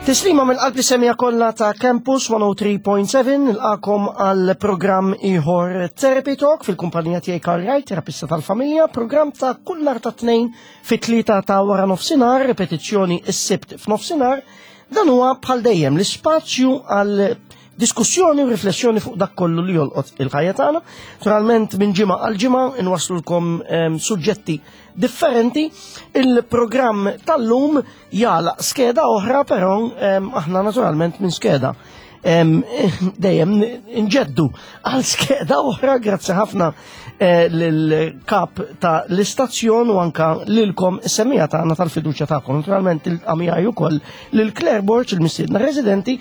Tislima minn qalbi semija kollha ta' Campus 103.7 nilqakom għal programm ieħor Therapy Talk fil-kumpanija tiegħi Karl Wright, terapista tal-familja, programm ta' kull nhar ta' tnejn fit-tlieta ta' wara nofsinhar, ripetizzjoni s-sibt f'nofsinhar. Dan huwa bħal dejjem l-ispazju għal diskussjoni u riflessjoni fuq dak kollu li jolqot il-ħajja tagħna. Naturalment minn ġimgħa għal ġimgħa inwaslulkom ehm, suġġetti differenti. Il-programm tal-lum jagħlaq skeda oħra, però ehm, aħna naturalment minn skeda ehm, dejjem nġeddu għal skeda oħra, grazzi ħafna eh, lill-kap ta' l-istazzjon u anka lilkom is-semija tagħna tal-fiduċja tagħkom. Naturalment il-qamijaj ukoll lil Claire Borg, il-mistiedna residenti,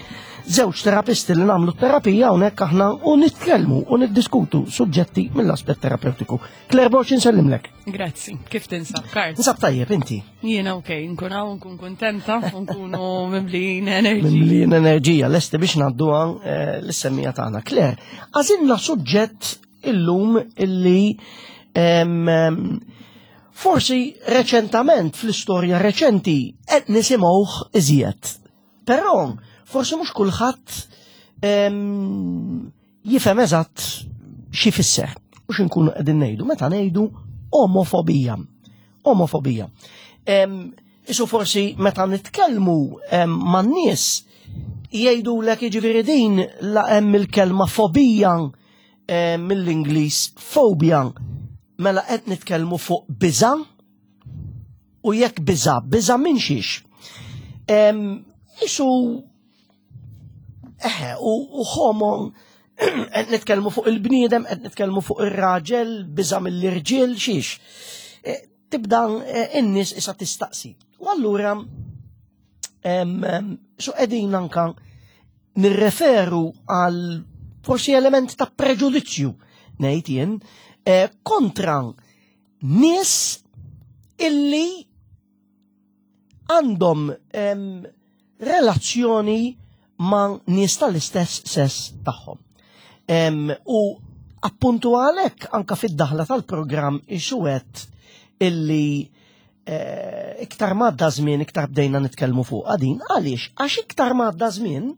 żewġ terapisti li nagħmlu terapija hawnhekk aħna u nitkellmu u niddiskutu suġġetti mill-aspett terapeutiku. Claire Borg insellimlek. Grazzi, kif tinsab, Karl? Nsab tajjeb inti. Jiena ok, nkun hawn, nkun kuntenta, nkunu mimlijin enerġija. Mimlijin enerġija, lesti biex ngħadduha eh, l-semmija tagħna. Claire, għażilna suġġett illum illi forsi reċentament fl-istorja reċenti qed nisimgħuh iżjed. Però forsi mhux kulħadd jifhem eżatt xi fisser u x'inkunu qegħdin ngħidu meta ngħidu omofobija. Omofobija. Isu forsi meta nitkellmu man-nies jgħidulek jiġifieri din la hemm il-kelma fobija mill-Ingliż phobia mela qed nitkellmu fuq biża' u jekk biża' biża' minn xiex. Isu eħe u homo qed nitkellmu fuq il-bniedem, qed nitkellmu fuq ir-raġel, biża' mill-irġiel, xiex. E, tibda e, in-nies issa tistaqsi. U allura su qegħdin anka nirreferu għal forsi element ta' preġudizzju ngħid jien e, kontra nies illi għandhom relazzjoni ma' nies tal-istess sess tagħhom. U appuntu għalhekk anka fid-daħla tal-programm ixuwet illi eh, iktar madda żmien iktar bdejna nitkellmu fuq din għaliex għax iktar madda żmien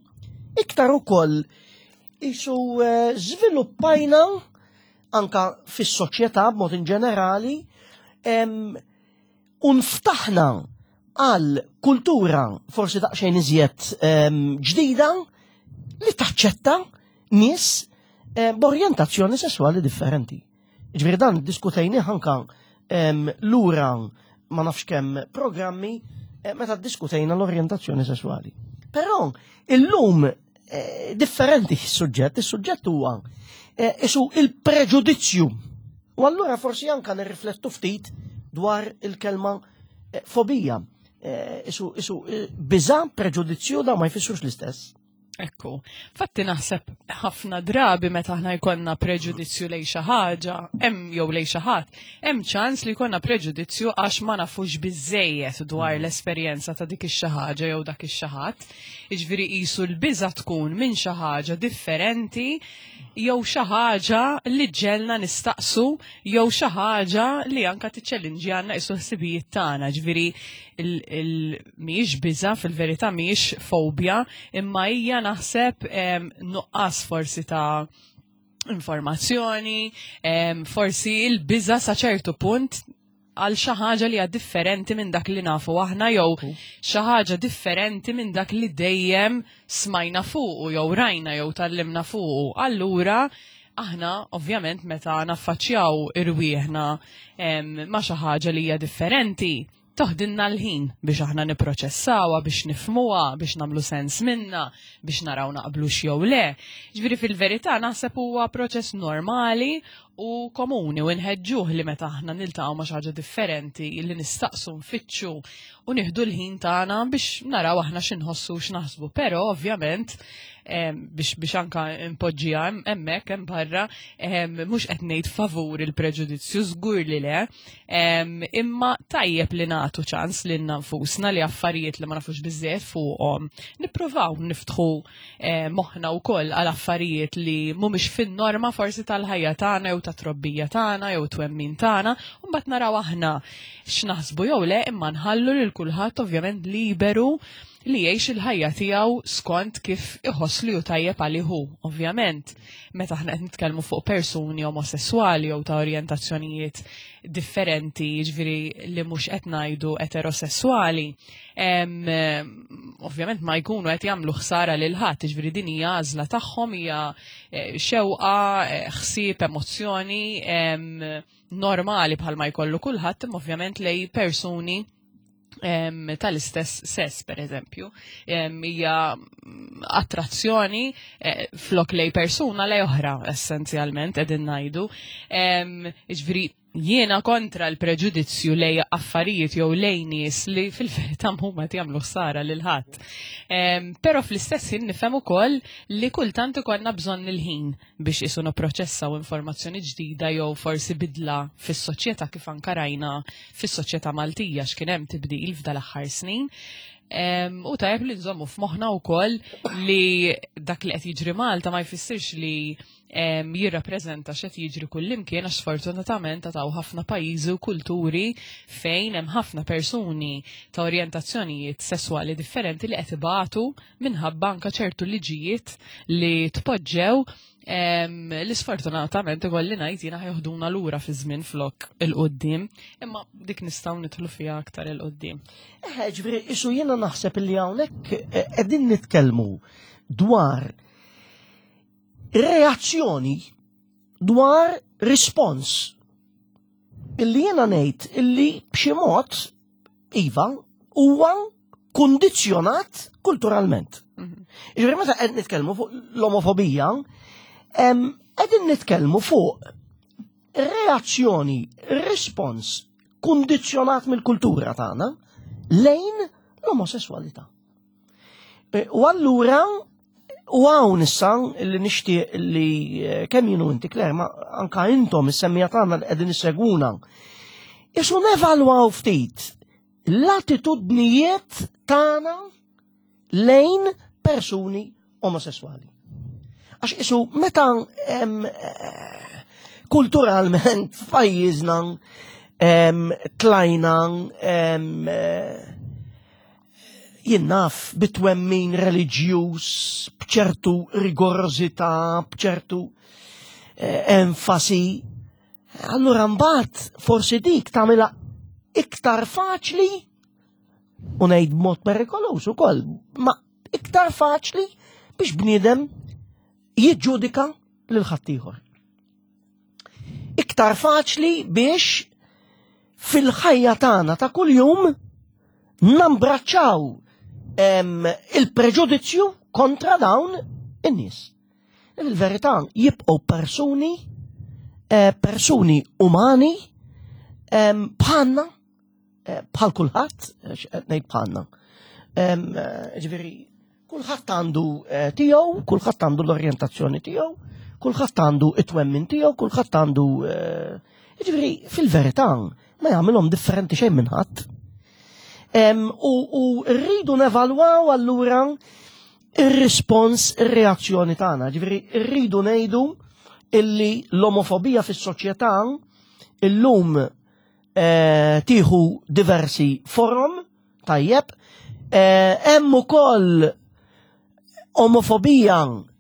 iktar ukoll isu eh, żviluppajna anka fis-soċjetà b'mod in ġenerali u nftaħna għal kultura forsi daqsxejn iżjed ġdida li taċċetta nies eh, b'orjentazzjoni sesswali differenti. Ġifieri dan diskutejni anka lura ma nafx kemm programmi eh, meta diskutejna l-orjentazzjoni sesswali. Però illum eh, differenti s-suġġett, is-suġġett huwa eh, isu il-preġudizzju. U allura forsi anka nirriflettu ftit dwar il-kelma eh, fobija. Isu, isu biża, preġudizzju da ma jfissrux l-istess. Ekku, fatti naħseb ħafna drabi meta aħna jkollna preġudizzju lej xi ħaġa, hemm jew lej xi ħadd, hemm ċans li jkollna preġudizzju għax ma nafux biżejjed dwar l-esperjenza ta' dik ix-xi ħaġa jew dak ix-xi ħadd. Jiġifieri qisu l-biża' tkun minn xi ħaġa differenti jew xi ħaġa li ġġegħelna nistaqsu jew xi ħaġa li anka tiċċellinġjanna qisu l-ħsibijiet tagħna. Ġifieri mhijiex biża' fil-verità mhijiex fobja, imma hija naħseb nuqqas forsi ta' informazzjoni, forsi l-biża' sa ċertu punt għal xi ħaġa li hija differenti minn dak li nafu aħna jew xi ħaġa differenti minn dak li dejjem smajna fuqu jew rajna jew tallimna fuqu. Allura aħna ovvjament meta naffaċċjaw irwieħna ma' xi ħaġa li hija differenti, toħdilna l-ħin biex aħna nipproċessawha, biex nifhmuha, biex nagħmlu sens minnha, biex naraw naqblux jew le. Ġifieri fil-verità naħseb huwa proċess normali u komuni u nħeġġuh li meta aħna niltaqgħu ma' xi ħaġa differenti li nistaqsu nfittxu u nieħdu l-ħin tagħna biex naraw aħna x'inħossu u x'naħsbu. Però ovvjament biex biex anka npoġġiha hemmhekk hemm barra mhux qed ngħid favur il-preġudizzju żgur li le, imma tajjeb li nagħtu ċans lilna nfusna li affarijiet li ma nafux biżżejjed fuqhom nippruvaw niftħu Eh, moħħna wkoll għal affarijiet li mhumiex fin-norma forsi tal-ħajja tagħna jew tat-trobbija tagħna jew twemmin tagħna, u mbagħad naraw aħna x'naħsbu jew le imma nħallu lil kulħadd ovvjament liberu li jgħix il-ħajja tiegħu skont kif iħoss li hu tajjeb għalih hu. Ovvjament, meta aħna qed nitkellmu fuq persuni omosessuali jew ta' orjentazzjonijiet differenti, jiġifieri li mhux qed ngħidu eterosessuali, ovvjament ma jkunu qed jagħmlu ħsara lil ħadd, jiġifieri din hija għażla tagħhom hija eh, xewqa, eh, ħsieb, emozzjoni normali bħalma jkollu kulħadd, imma ovvjament lej persuni tal-istess sess, per eżempju. Hija attrazzjoni eh, flok lej persuna lej oħra, essenzjalment, qegħdin ngħidu. Jiġifieri jiena kontra l-preġudizzju lej affarijiet jew lej nies li fil-verità huma qed jagħmlu ħsara lil ħadd. Però fl-istess ħin nifhem ukoll li kultant ikollna bżonn il-ħin biex isu nipproċessaw informazzjoni ġdida jew forsi bidla fis-soċjetà kif anka rajna fis-soċjetà Maltija x'kien hemm tibdil f'dal-aħħar snin. U tajjeb li nżommu f'moħħna wkoll li dak li qed jiġri Malta ma jfissirx li jirrappreżenta x'qed jiġri kullimkien għax sfortunatament għataw ħafna pajjiżi u kulturi fejn hemm ħafna persuni ta' orjentazzjonijiet sesswali differenti li qed ibatu minħabba anka ċertu liġijiet li tpoġġew li sfortunatament ikolli ngħid jiena ħjoħduna lura fi żmien flok il-qoddim, imma dik nistgħu nidħlu fiha aktar il-qoddim. Eh, ġifieri isu jiena naħseb li hawnhekk eh, qegħdin nitkellmu dwar reazzjoni dwar rispons illi jiena ngħid illi b'xi mod iva huwa kundizzjonat kulturalment. Mhm. Ġifieri meta qed nitkellmu fuq l-omofobija, qegħdin nitkellmu fuq reazzjoni, rispons kundizzjonat mill-kultura tagħna lejn l-omosessualità. E, u allura u hawn issa li nixtieq li e, kemm jienu inti Claire, ma anka intom is-semmija tagħna li qegħdin issegwuna. Isu nevalwaw ftit l-attitudnijiet tagħna lejn persuni omosessuali. Għax isu meta eh, kulturalment f'pajjiżna tlajna eh, jien naf bitwemmin reliġjuż b'ċertu rigorożità, b'ċertu eh, enfasi. Allura mbagħad forsi dik tagħmilha iktar faċli u ngħid b'mod perikoluż ukoll, ma iktar faċli biex bniedem jiġġudika lil ħaddieħor. Iktar faċli biex fil-ħajja tagħna ta' kuljum nambraċċaw il-preġudizzju kontra dawn in-nies. Il-verità jibqgħu persuni eh, persuni umani bħalna eh, bħal kulħadd, eh, ngħid bħalna. Ġifieri, kulħadd għandu tiegħu, kulħadd għandu l-orjentazzjoni tiegħu, kulħadd għandu it-twemmin tiegħu, kulħadd għandu ġifieri fil-verità ma jagħmilhom differenti xejn minn ħadd. U rridu nevalwaw allura ir-rispons, ir-reazzjoni tagħna. Ġifieri rridu ngħidu illi l-omofobija fis-soċjetà illum eh, tieħu diversi forom, tajjeb, eh, hemm ukoll omofobija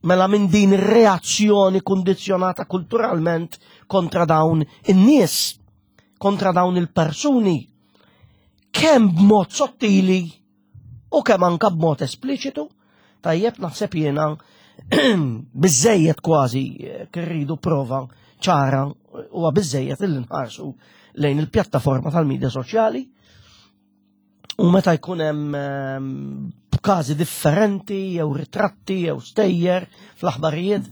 mela minn din reazzjoni kundizzjonata kulturalment kontra dawn in-nies, kontra dawn il-persuni, kemm b'mod sottili u kemm anka b'mod espliċitu, tajjeb naħseb jiena biżejjed kważi eh, kirridu prova ċara huwa biżejjed illi nħarsu lejn il-pjattaforma tal-medja soċjali u meta jkun hemm ehm, każi differenti jew ritratti jew stejjer fl-aħbarijiet,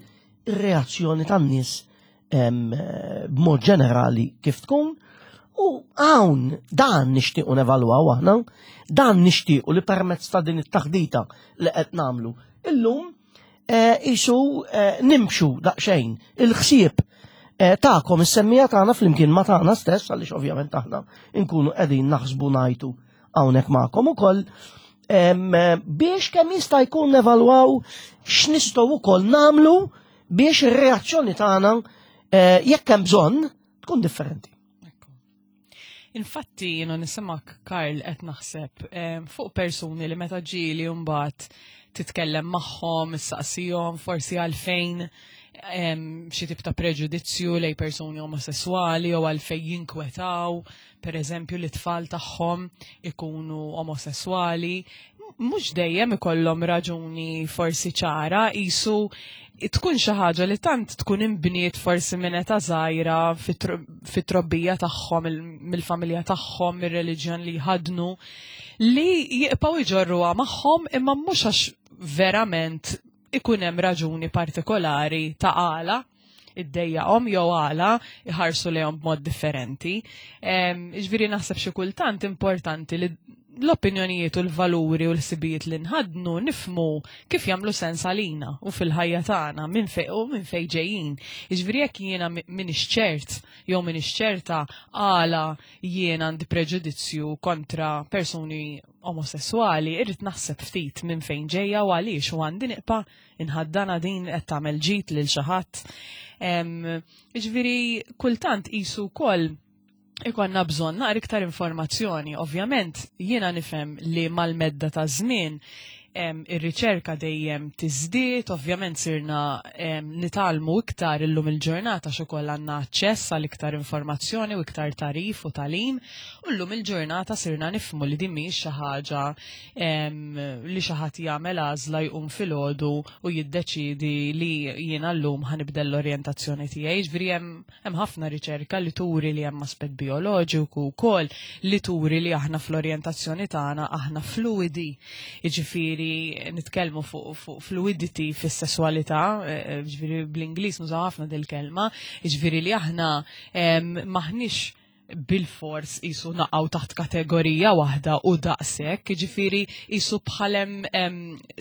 ir-reazzjoni tan-nies b'mod ġenerali kif tkun u hawn dan nixtiequ nevalwaw aħna, dan nixtiequ li permezz ta' din it-taħdita li qed nagħmlu illum eh, isu eh, nimxu daqsxejn il-ħsieb eh, tagħkom is-semmija tagħna flimkien ma tagħna stess għaliex ovvjament aħna nkunu qegħdin naħsbu ngħidu hawnhekk magħkom ukoll biex kemm jista' jkun nevalwaw x'nistgħu wkoll nagħmlu biex ir-reazzjoni tagħna eh, jekk hemm bżonn tkun differenti. Infatti jiena nisimak Karl qed naħseb fuq persuni li meta ġieli mbagħad titkellem magħhom, issaqsihom forsi għalfejn xi tip ta' preġudizzju lej persuni omosessuali jew għalfejn jinkwetaw, per eżempju, li tfal tagħhom ikunu omosessuali, mhux dejjem ikollhom raġuni forsi ċara, qisu tkun xi ħaġa li tant tkun inbniet forsi minn età żgħira fit-trobbija tagħhom, mill-familja tagħhom, mir-reliġjon li jħaddnu, li jibqgħu jġorruha magħhom imma mhux għax verament ikun hemm raġuni partikolari ta' għala iddejjaqhom jew għala iħarsu lejhom b'mod differenti. Ġifieri naħseb xi kultant importanti li l-opinjonijiet u l-valuri u l-ħsibijiet li nħaddnu nifmu kif jagħmlu sens għalina u fil-ħajja tagħna minn fejn u minn fejn ġejjin. Jiġifieri jekk jiena m'iniex ċert jew m'iniex ċerta għala jien għandi preġudizzju kontra persuni omosessuali, irrid naħseb ftit minn fejn ġejja u għaliex u għandi nibqa' inħaddana din qed tagħmel ġid lil xi ħadd. Jiġifieri kultant qisu wkoll ikonna bżonn naqra iktar informazzjoni. Ovvjament jiena nifhem li mal-medda ta' żmien ir-riċerka dejjem tiżdied, ovvjament sirna nitgħallmu iktar illum il-ġurnata x'ukoll għandna aċċess għal iktar informazzjoni u iktar tagħrif u tagħlim, u llum il-ġurnata sirna nifhmu li din mhijiex xi ħaġa li xi ħadd jagħmel għażla jqum filgħodu u jiddeċiedi li jiena llum ħa nibdel l-orjentazzjoni tiegħi. Jiġifieri hemm Hemm ħafna riċerka li turi li hemm aspett bioloġiku wkoll li turi li aħna fl-orjentazzjoni tagħna aħna fluidi. Jiġifieri nitkellmu fuq fu fluidity fis-sesswalità, eh, eh, jiġifieri bl-Ingliż nużaw ħafna dil-kelma, jiġifieri li aħna maħniex bil-fors jisu naqaw taħt kategorija waħda u daqshekk, jiġifieri jisu bħalem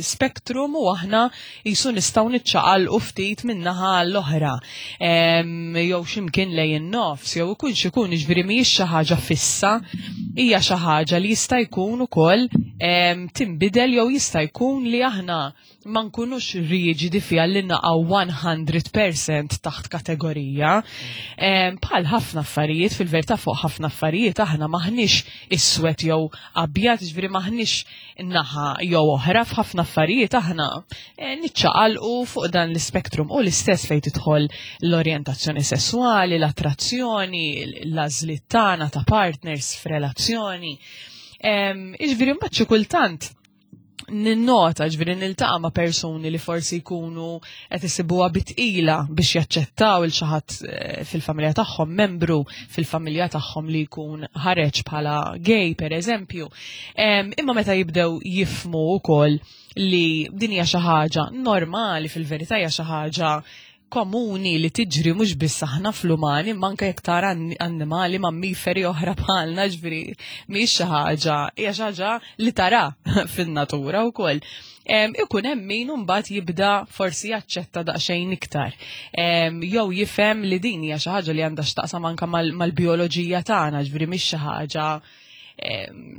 spektrum u aħna jisu nistgħu niċċaqalqu ftit min-naħa l-oħra. Jew x'imkien lejn in-nofs, jew ikun x'ikun, jiġifieri mhijiex xi ħaġa fissa, hija xi ħaġa li jista' jkun ukoll tinbidel jew jista' jkun li aħna ma nkunux riġidi fiha li naqgħu 100% taħt kategorija. Bħal ħafna affarijiet, fil-verità fuq ħafna affarijiet aħna maħniex iswed jew abjad, ġifieri maħniex naħa jew oħra f'ħafna affarijiet aħna eh, niċċaqalqu fuq dan l-ispektrum u l-istess fejn tidħol l-orjentazzjoni sesswali, l-attrazzjoni, l-għażliet tagħna ta' partners f'relazzjoni. Iġifieri mbagħad xi kultant ninnota ġviri niltaqa' ma' persuni li forsi jkunu qed isibuha bitqila biex jaċċettaw il xi ħadd eh, fil-familja tagħhom, membru fil-familja tagħhom li jkun ħareġ bħala gay pereżempju. Imma meta jibdew jifmu wkoll li din hija xi ħaġa normali fil-verità hija xi ħaġa komuni li tiġri mhux biss aħna fl-umani, imma anke jekk tara annimali mammiferi oħra bħalna, ġifieri mhix xi ħaġa, hija xi ħaġa li tara fin-natura wkoll. Ikun hemm min imbagħad jibda forsi jaċċetta daqsxejn iktar. Jew jifhem li din hija xi ħaġa li għandha x'taqsam anke mal-bijoloġija tagħna, ġifieri mhix xi ħaġa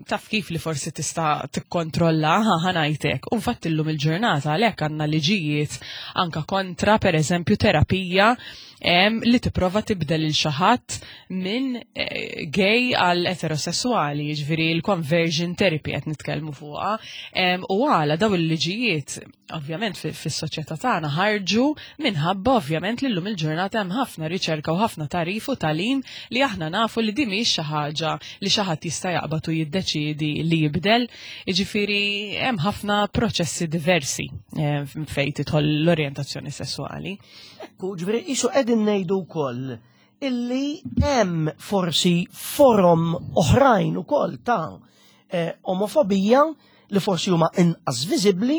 taf kif li forsi tista' tikkontrolla ħanajtek. U fatt illum il-ġurnata għalhekk għandna liġijiet anka kontra pereżempju terapija li tipprova tibdel il xi ħadd minn eh, gay għal eterosessuali, jiġifieri l-conversion therapy qed nitkellmu fuqha. U għala daw il-liġijiet ovvjament fis-soċjetà tagħna ħarġu minħabba ovvjament li llum il-ġurnata hemm ħafna riċerka u ħafna tagħrif u tagħlim li aħna nafu li din mhijiex xi ħaġa li xi ħadd jista' jaqbad u jiddeċiedi li jibdel. Jiġifieri hemm ħafna proċessi diversi eh, fejn tidħol l-orjentazzjoni sesswali. Ekku, ġifieri qisu qegħdin ngħidu wkoll illi hemm forsi forom oħrajn ukoll ta' eh, omofobija li forsi huma inqas viżibbli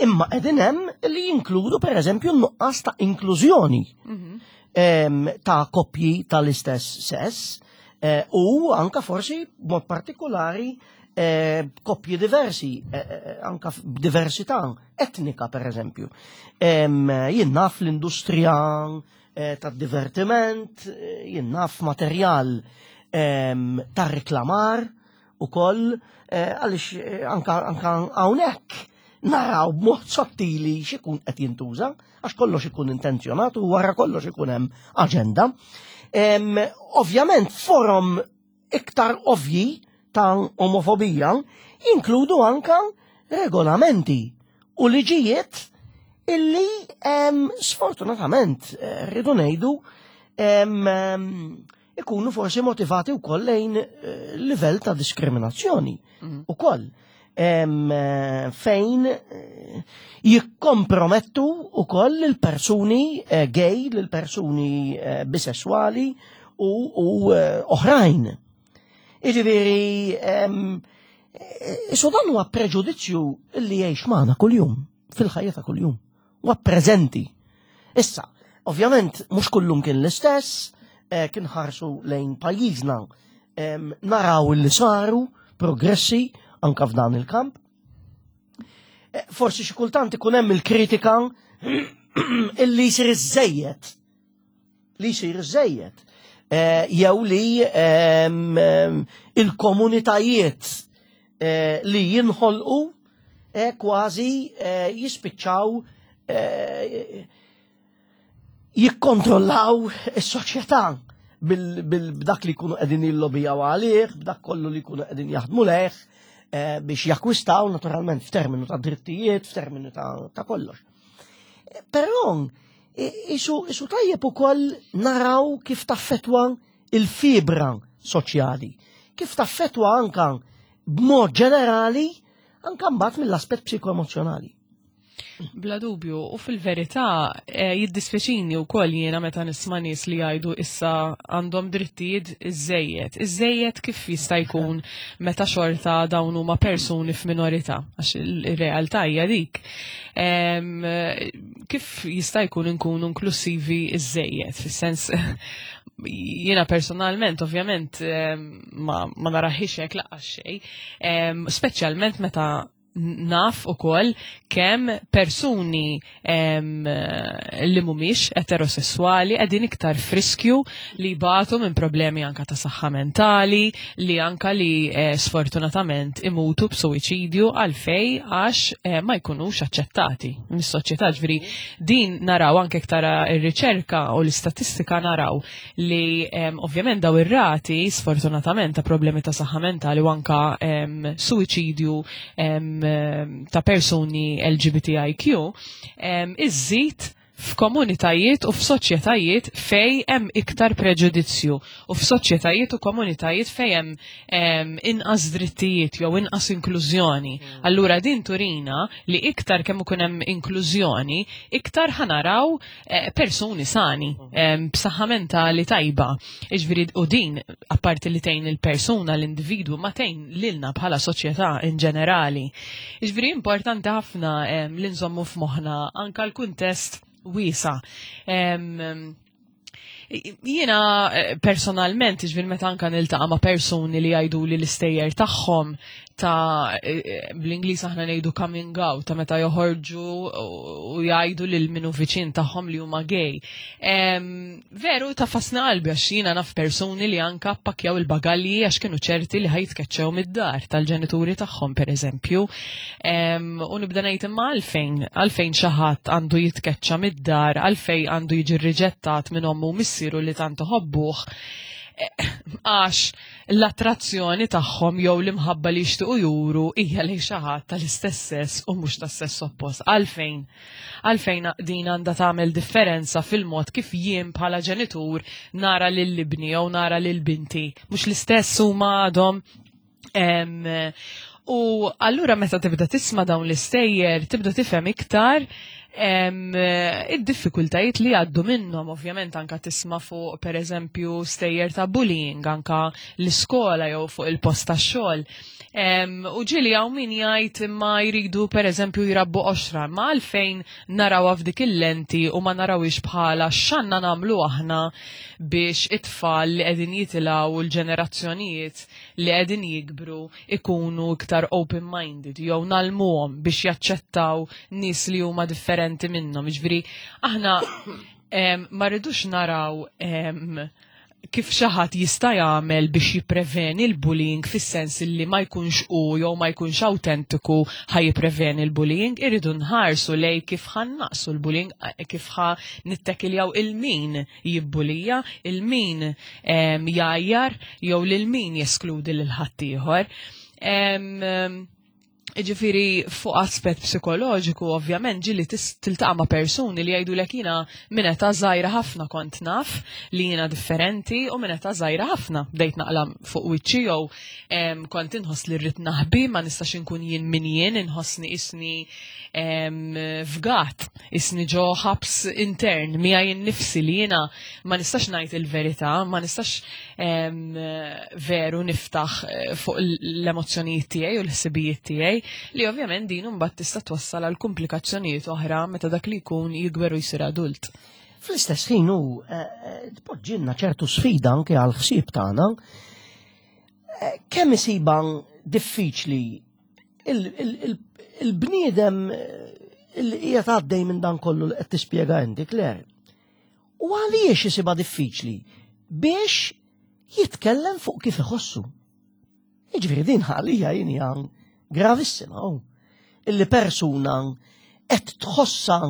imma qegħdin hemm li jinkludu pereżempju n-nuqqas ta' inklużjoni mhm. ta' koppji tal-istess sess eh, u anka forsi b'mod partikolari eh, koppji diversi, eh, anka b'diversità etnika per eżempju. Jien naf l-industrija tad-divertiment, jien naf materjal ta' reklamar, ukoll eh, għaliex eh, anka hawnhekk naraw b'mod sottili x'ikun qed jintuża, għax kollox ikun intenzjonat u wara kollox ikun hemm aġenda. Ovvjament forom iktar ovvji ta' omofobija jinkludu anka regolamenti u liġijiet illi sfortunatament eh, rridu ngħidu ikunu forsi motivati wkoll lejn eh, livell ta' diskriminazzjoni mhm. ukoll eh, fejn jikkompromettu ukoll l-persuni gay, l-persuni bisessuali u oħrajn. Iġifieri, so dan huwa preġudizzju li jgħix magħna kuljum, fil-ħajja ta' kuljum. Huwa preżenti. Issa, ovvjament mhux kullum kien l-istess, eh, kien ħarsu lejn pajjiżna naraw li saru progressi anka f'dan il-kamp. Eh, forsi xi kultant ikun hemm il-kritika illi jsir iżejjed li jsir żejjed. Eh, jew li ehm, ehm, il-komunitajiet eh, li jinħolqu eh, kważi jispiċċaw jikkontrollaw is-soċjetà bil-dak li jkunu qegħdin jillobijaw għalih, b'dak kollu li jkunu qegħdin jaħdmu leħ biex jakkwistaw naturalment f'terminu ta' drittijiet, f'terminu ta' kollox. Però isu, isu tajjeb ukoll naraw kif taffetwa il-fibra soċjali, kif taffetwa anka b'mod ġenerali anka mbagħad mill-aspett psikoemozjonali. Bla dubju, u fil-verità eh, jiddispjaċini wkoll jiena meta nisma' nies li jgħidu issa għandhom drittijiet iżejjed. Iżejjed kif jista' jkun meta xorta dawn huma persuni f'minorità, għax il-realtà hija dik. Kif jista' jkun inkunu inklusivi iżejjed, fis-sens jiena personalment ovvjament ma, ma naraħiex hekk laqas xejn, speċjalment meta naf ukoll kemm persuni li mhumiex eterosessuali qegħdin iktar friskju li jbatu minn problemi anka ta' saħħa mentali, li anka li eh, sfortunatament imutu b'suwiċidju għalfej għax eh, ma jkunux aċċettati mis-soċjetà. Ġifieri din naraw anke tara r-riċerka u l-istatistika naraw li ovvjament daw ir-rati sfortunatament ta' problemi ta' saħħa mentali u anka suwiċidju ta' persuni LGBTIQ iżżid f'komunitajiet u f'soċjetajiet fej hemm iktar preġudizzju u f'soċjetajiet u komunitajiet fej hemm inqas drittijiet jew inqas inklużjoni. Mm. Allura din turina li iktar kemm ikun hemm inklużjoni, iktar ħanaraw Eh, persuni sani, b'saħħa mentali tajba. Iġviri, u din, apparti li tgħin il-persuna, l-individwu, ma tgħin lilna bħala soċjetà in ġenerali. Iġviri, importanti ħafna li nżommu f'moħħna anka l-kuntest wiesa. Jiena eh, personalment, ġvil meta anka niltaqa' ma' persuni li jgħidu li l-istejjer tagħhom ta' eh, eh, bl-Ingliż aħna ngħidu coming out ta' meta joħorġu u jgħidu lil minu viċin tagħhom li huma gay. Veru ta' fasna qalbi għax jiena naf persuni li anka ppakjaw il-bagalji għax kienu ċerti li ħajtkeċċew mid-dar tal-ġenituri tagħhom pereżempju. U nibda ngħid imma għalfejn, għalfejn xi ħadd għandu jitkeċċa mid-dar, għalfejn għandu jiġi rriġettat minn ommu u missieru li tant iħobbuh eh, għax l-attrazzjoni tagħhom jew l-imħabba li jixtiequ juru hija lejn xi ħadd tal-istess sess u mhux tas-sess oppost. Għalfejn? Għalfejn din għandha tagħmel differenza fil-mod kif jien bħala ġenitur nara lil ibni jew nara lil binti. Mhux l-istess huma għadhom U allura meta tibda tisma' dawn l-istejjer, tibda tifhem iktar id-diffikultajiet li għaddu minnhom, ovvjament anka tisma' fuq pereżempju stejjer ta' bullying anka l-iskola jew fuq il-post tax-xogħol. U ġieli hawn min jgħid imma jridu pereżempju jrabbu qoxra, ma għalfejn narawha f'dik il-lenti u ma narawhiex bħala x'għandna nagħmlu aħna biex it-tfal li qegħdin jitilgħu u l-ġenerazzjonijiet li qegħdin jikbru ikunu iktar open-minded jew nalmuhom biex jaċċettaw nies li huma differenti minnhom. Jiġifieri aħna ma rridux naraw kif xi ħadd jista' jagħmel biex jippreveni l-bullying fis-sens li ma jkunx hu jew ma jkunx awtentiku ħa jippreveni l-bullying, irridu nħarsu lej kif ħa naqsu l-bullying, kif ħa nittekiljaw il-min jibbulija, il-min jgħajjar jew lil min jeskludi lil ħaddieħor. Ġifiri, fuq aspett psikoloġiku, ovvjament, ġili tiltaqa' ma' persuni li jgħidu lek jiena minn età żgħira ħafna kont naf li jiena differenti u minn età żgħira ħafna bdejt naqla fuq wiċċi jew kont inħoss li rrid naħbi ma nistax inkun jien min jien, inħossni isni fgat, isni ġo ħabs intern miegħi nnifsi li jiena ma nistax ngħid il-verità, ma nistax veru niftaħ eh, fuq l-emozzjonijiet tiegħi u l-ħsibijiet tiegħi li ovvjament din imbagħad tista' twassal għal komplikazzjonijiet oħra meta dak li jkun jikber u jsir adult. Fl-istess ħin hu eh, eh, tpoġġilna ċertu sfida anke għal ħsieb tagħna. Kemm isiba diffiċli il-bniedem li qiegħed għaddej minn dan kollu li qed tispjega inti, Claire. U għaliex isibha diffiċli biex jitkellem fuq kif iħossu. Jiġifieri din għalija jien hija gravissima oh. Illi persuna qed tħossa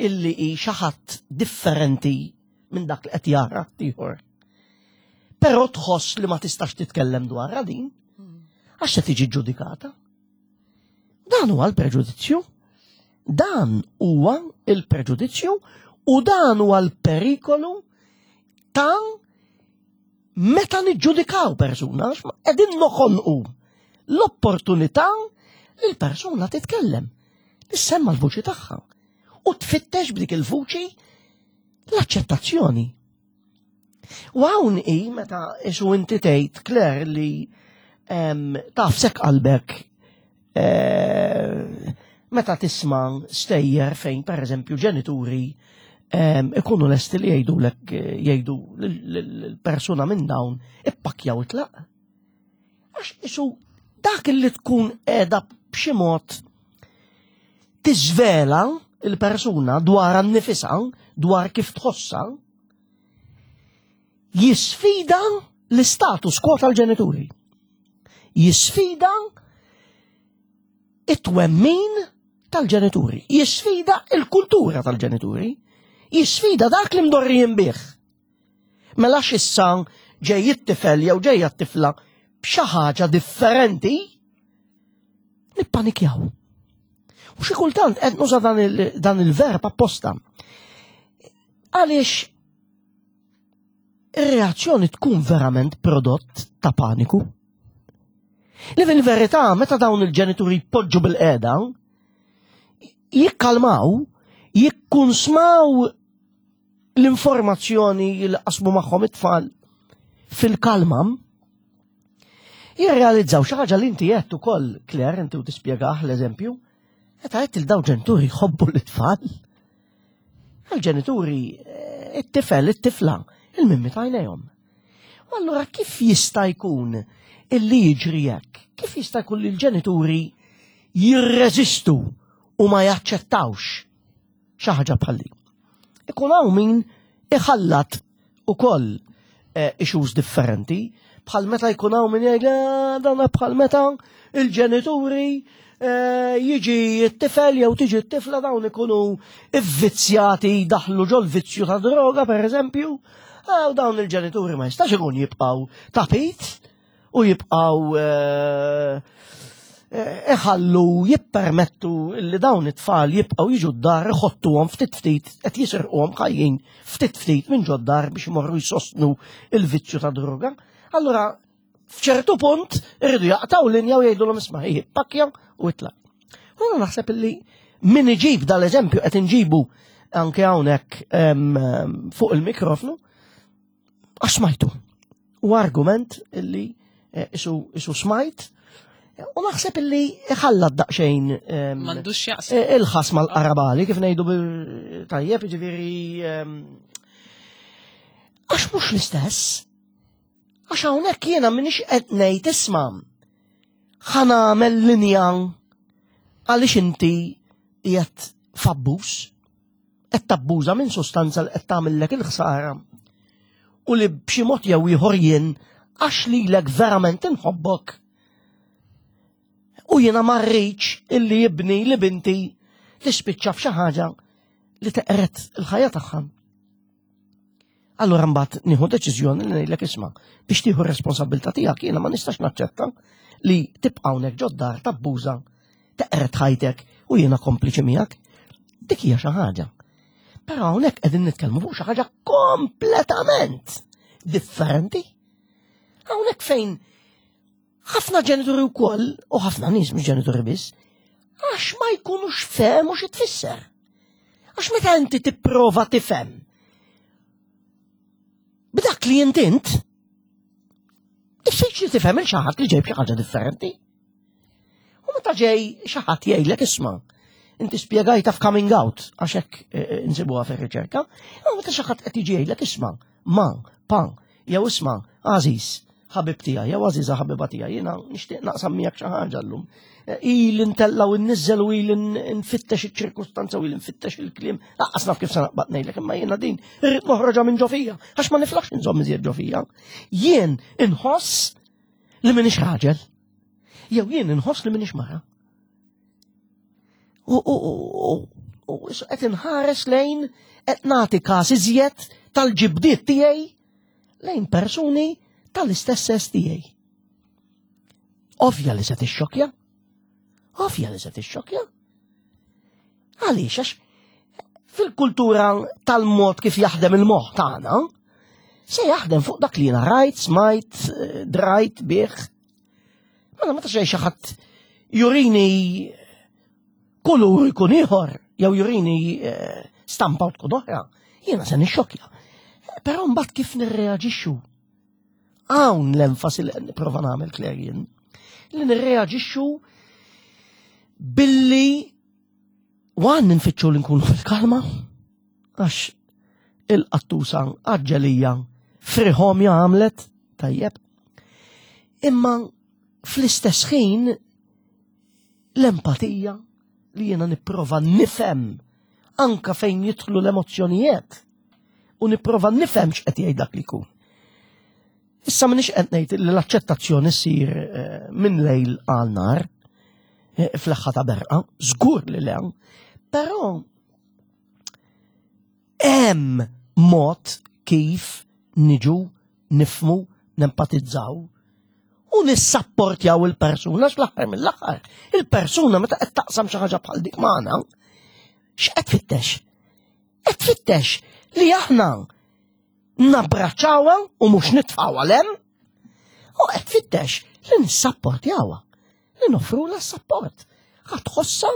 illi hi xi ħadd differenti minn dak li qed jara ieħor. Però tħoss li ma tistax titkellem dwarha din, għax se tiġi ġudikata. Dan huwa l-preġudizzju. Dan huwa il-preġudizzju u dan huwa l-perikolu ta' meta niġġudikaw persuna, qegħdin noħolqu l-opportunità li l-persuna titkellem, tissemma l-vuċi tagħha u tfittex b'dik il-vuċi l-aċċettazzjoni. U hawn hi meta isu inti tgħid Claire li taf sek qalbek eh, meta tisma' stejjer fejn pereżempju ġenituri ikunu lesti li jgħidulek jgħidu l-persuna minn dawn ippakjaw itlaq. Għax isu dak li tkun qiegħda b'xi mod tiżvela il-persuna dwar nifisha, dwar kif tħossha, jisfida l-istatus quo tal-ġenituri. Jisfida it-twemmin tal-ġenituri. Jisfida il-kultura tal-ġenituri. Jisfida dak li mdorrijin bih. Mela x'issa ġej it-tifel jew ġejja t-tifla b'xi ħaġa differenti, nippanikjaw. U xi kultant qed nuża dan il-verb apposta. Għaliex ir-reazzjoni tkun verament prodott ta' paniku. Li fil-verità, meta dawn il-ġenituri jpoġġu bil-qeda, jikkalmaw, jikkunsmaw l-informazzjoni li qasmu magħhom it-tfal fil-kalma, jirrealizzaw xi ħaġa li inti qed ukoll, Claire, inti u tispjegah l-eżempju, meta qed il daw ġenituri jħobbu l-tfal. Għal-ġenituri, eh, it-tifel, it-tifla, il-mimmi tajnejhom. U allura kif jista' jkun illi jiġri hekk? Kif jista' jkun li l-ġenituri jirreżistu u ma jaċċettawx xi ħaġa bħal din? Ikun hawn min iħallat ukoll eh, issues differenti, bħal meta jkun hawn min jgħid eh, dan bħal meta il-ġenituri eh, jiġi t-tifel jew tiġi t-tifla dawn ikunu ivvizzjati daħlu ġol vizzju ta' droga per eżempju, u dawn il-ġenituri ma jistax ikun jibqgħu tapit u jibqgħu eh, eh, iħallu jippermettu li dawn it-tfal jibqgħu jiġu d-dar iħottuhom ftit ftit qed jisirquhom ħajjin ftit ftit minn ġod-dar biex imorru jsostnu il-vizzju ta' droga. Allura f'ċertu punt irridu jaqtaw linja u jgħidulhom isma' hi pakkja u itlaq. U naħseb illi min iġib dal-eżempju qed inġibu anke hawnhekk fuq il-mikrofnu Għax smajtu. U argument illi eh, isu smajt U naħseb illi iħallat daqxejn ehm, M'għandux jaqsam. Eh, il-ħas mal-qarabali kif ngħidu tajjeb, jiġifieri ehm, għax mhux l-istess. Għax hawnhekk jiena m'iniex qed ngħid isma' ħa nagħmel linja għaliex inti qiegħed f'abbuż. Qed tabbuża minn sustanza li qed tagħmillek il-ħsara. u li b'xi mod jew ieħor jien għax lilek verament inħobbok. U jiena ma rridx illi jibni li binti tispiċċa f'xi ħaġa li teqret il-ħajja tagħha. Allura mbagħad nieħu deċiżjoni li ngħidlek isma' biex tieħu r-responsabilità tiegħek jiena ma nistax naċċetta li tibqa' hawnhekk ġod-dar tabbuża, teqret ħajtek u jiena kompliċi miegħek. Dik hija xi ħaġa. Però hawnhekk qegħdin nitkellmu fuq xi ħaġa kompletament differenti. Hawnhekk fejn ħafna ġenituri wkoll u ħafna nies mhux ġenituri biss, għax ma jkunux fehmu xi tfisser. Għax meta inti tipprova tifhem b'dak li int int, diffiċli tifhem il xi ħadd li ġej b'xi ħaġa differenti. U meta ġej xi ħadd jgħidlek isma' inti spjegajta f'coming out għax hekk eh, eh, insibuha fir-riċerka, u meta xi ħadd qed jiġi jgħidlek isma' ma, pa, jew isma' għażiż, ħabib tiegħi, jew għażiża ħabiba tiegħi, jiena nixtieq naqsam miegħek xi ħaġa llum. Eh, ili ntella u nniżżel u ili nfittex iċ-ċirkustanza u ili nfittex il-kliem, lanqas naf kif se naqbad ngħidlek, imma jiena din irrid noħroġha minn ġofija, għax ma niflaħx inżomm iżjed ġofija. Jien inħoss li m'iniex raġel, jew jien inħoss li m'iniex mara. U qed inħares lejn qed nagħti każ iżjed tal-ġibdiet tiegħi lejn persuni tal-istess sess tiegħi. Ovvja li se tixxokja. Ovvja li se tixxokja. Għaliex għax fil-kultura tal-mod kif jaħdem il-moħħ tagħna, se jaħdem fuq dak li jiena rajt, smajt, eh, drajt bih. Mela meta xejn xi ħadd jurini kulur ikun ieħor jew jurini eh, stampa u tkun oħra, jiena se nixxokja. Però mbagħad kif nirreaġixxu? Hawn l-enfasi li qed nipprova nagħmel Claire jien. Li nirreaġixxu billi wan nfittxu li nkunu fil-kalma għax il-qattusa għaġġelija friħomja għamlet tajjeb. Imma fl-istess ħin l-empatija li jiena nipprova nifhem anka fejn jidħlu l-emozzjonijiet u nipprova nifhem x'qed jgħid dak li jkun. Issa m'iniex qed ngħid li l-aċċettazzjoni ssir eh, minn lejl għal nar eh, fl-aħħa ta' berqa, żgur li le, però hemm mod kif niġu nifmu, nempatizzaw u nissapportjaw il-persuna x'l-aħħar mill-aħħar. Il-persuna meta qed taqsam xi ħaġa bħal dik magħna, x'qed tfittex? Qed tfittex li aħna nabbraċċawha u mhux nitfgħuha lem u qed tfittex li nissapportjawha, li noffrulha s-sapport. Ħa tħossha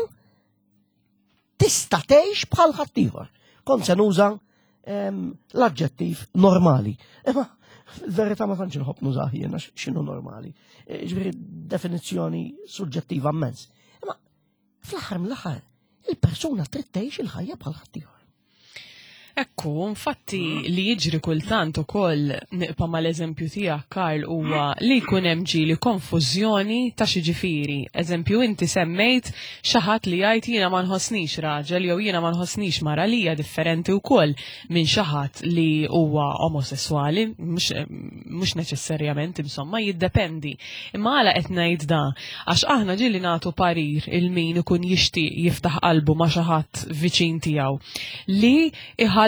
tista' tgħix bħal ħaddieħor. Kont se nuża ehm, l-aġġettiv normali. Imma fil-verità ma tantx inħobb nużah jiena x'inhu normali. E, ġifieri definizzjoni suġġettiva immens. Imma fl-aħħar mill-aħħar il-persuna trid tgħix il-ħajja bħal ħaddieħor. Ekku, infatti li jiġri kultant ukoll niqpa mal-eżempju tiegħek Karl huwa li jkun hemm ġieli konfużjoni ta' xi ġifieri. Eżempju inti semmejt xi ħadd li jgħid jiena ma nħossnix raġel jew jiena ma nħossnix mara li hija differenti wkoll minn xi ħadd li huwa omosesswali, mhux neċessarjament insomma jiddependi. Imma għala qed ngħid da? Għax aħna ġieli nagħtu parir il min ikun jixtieq jiftaħ qalbu ma' xi ħadd viċin tiegħu li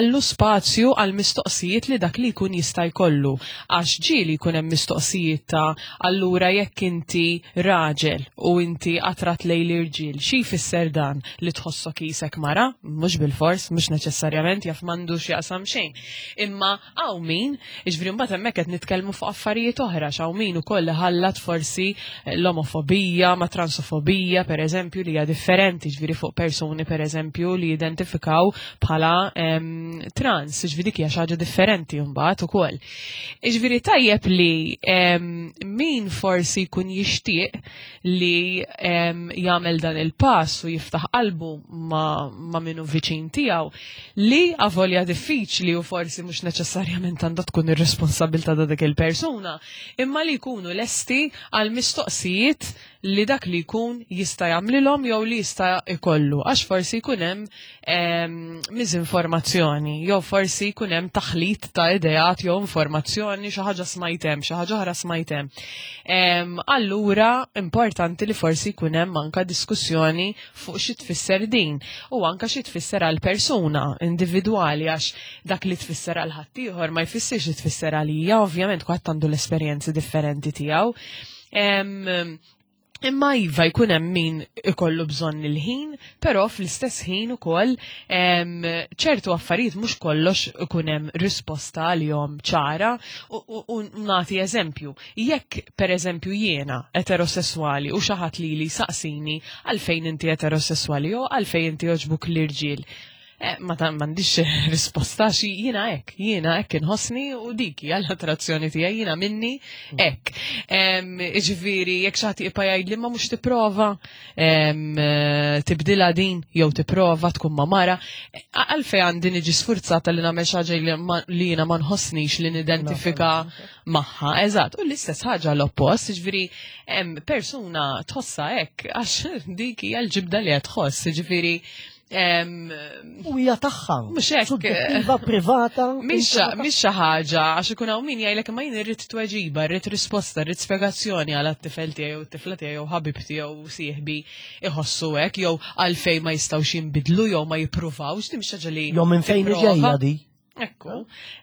iħallu spazju għal mistoqsijiet li dak li jkun jista' jkollu. Għax ġieli jkun hemm mistoqsijiet ta' allura jekk inti raġel u inti attrat lejn l-irġiel, xi jfisser dan li tħossok qisek mara? Mhux bilfors, mhux neċessarjament jaf m'għandux jaqsam xejn. Imma Hawn min, jiġifieri mbagħad hemmhekk qed nitkellmu fuq affarijiet oħra, x'hawn min ukoll iħallat forsi l-omofobija ma' transofobija, pereżempju, li hija differenti, jiġifieri fuq persuni pereżempju li jidentifikaw bħala ehm, trans, jiġifieri dik hija xi ħaġa differenti mbagħad ukoll. Jiġifieri tajjeb li ehm, min forsi jkun jixtieq li ehm, jagħmel dan il-pass u jiftaħ qalbu ma', ma minnu viċin tiegħu, li avolja diffiċli u forsi mhux neċessarjament għandha tkun ir-responsabilità ta' dik il-persuna, imma li jkunu lesti għal mistoqsijiet li dak li jkun jista' jagħmlilhom jew li jista' jkollu għax forsi jkun hemm ehm, miżinformazzjoni jew forsi jkun hemm taħlit ta' ideat jew informazzjoni xi ħaġa smajt hemm, xi ħaġa oħra smajt hemm. Ehm, allura importanti li forsi jkun hemm anka diskussjoni fuq xi tfisser din u anka xi tfisser għal persuna individwali għax dak li tfisser għal ħaddieħor ma jfissirx li tfisser għalija, ovvjament kulħadd għandu l-esperjenzi differenti tiegħu. Imma iva jkun hemm min ikollu bżonn il-ħin, però fl-istess ħin ukoll ċertu affarijiet mhux kollox ikun hemm risposta għalihom ċara u nagħti eżempju. Jekk pereżempju jiena eterosesswali u xi ħadd lili saqsini għalfejn inti eterosesswali jew għalfejn inti jogħġbuk l-irġiel, Eh, ma ta' m'għandix risposta xi jiena hekk, jiena hekk inħossni u dik hija l-attrazzjoni tiegħi jiena minni hekk. Jiġifieri jekk xi ħadd jibqa' jgħidli ma mhux tipprova eh, tibdilha din jew tipprova tkun ma' mara, għalfejn għandi niġi sfurzata li nagħmel xi ħaġa li jiena ma nħossnix li nidentifika magħha. Eżatt, u l-istess ħaġa l-oppost, jiġifieri persuna tħossha hekk għax dik hija l-ġibda li qed tħoss, jiġifieri U hija tagħha. Mhux hekk. Suġġettiva privata. Mhix xi ħaġa għax ikun hawn min jgħidlek imma jien irrid tweġiba, irrid risposta, irrid spjegazzjoni għal tifel tiegħi jew tifla tiegħi jew ħabib tiegħu jew sieħbi iħossu hekk jew għalfejn ma jistgħux jinbidlu jew ma jippruvawx, din mhix ħaġa li. Jew minn fejn ġejja di. Ekku,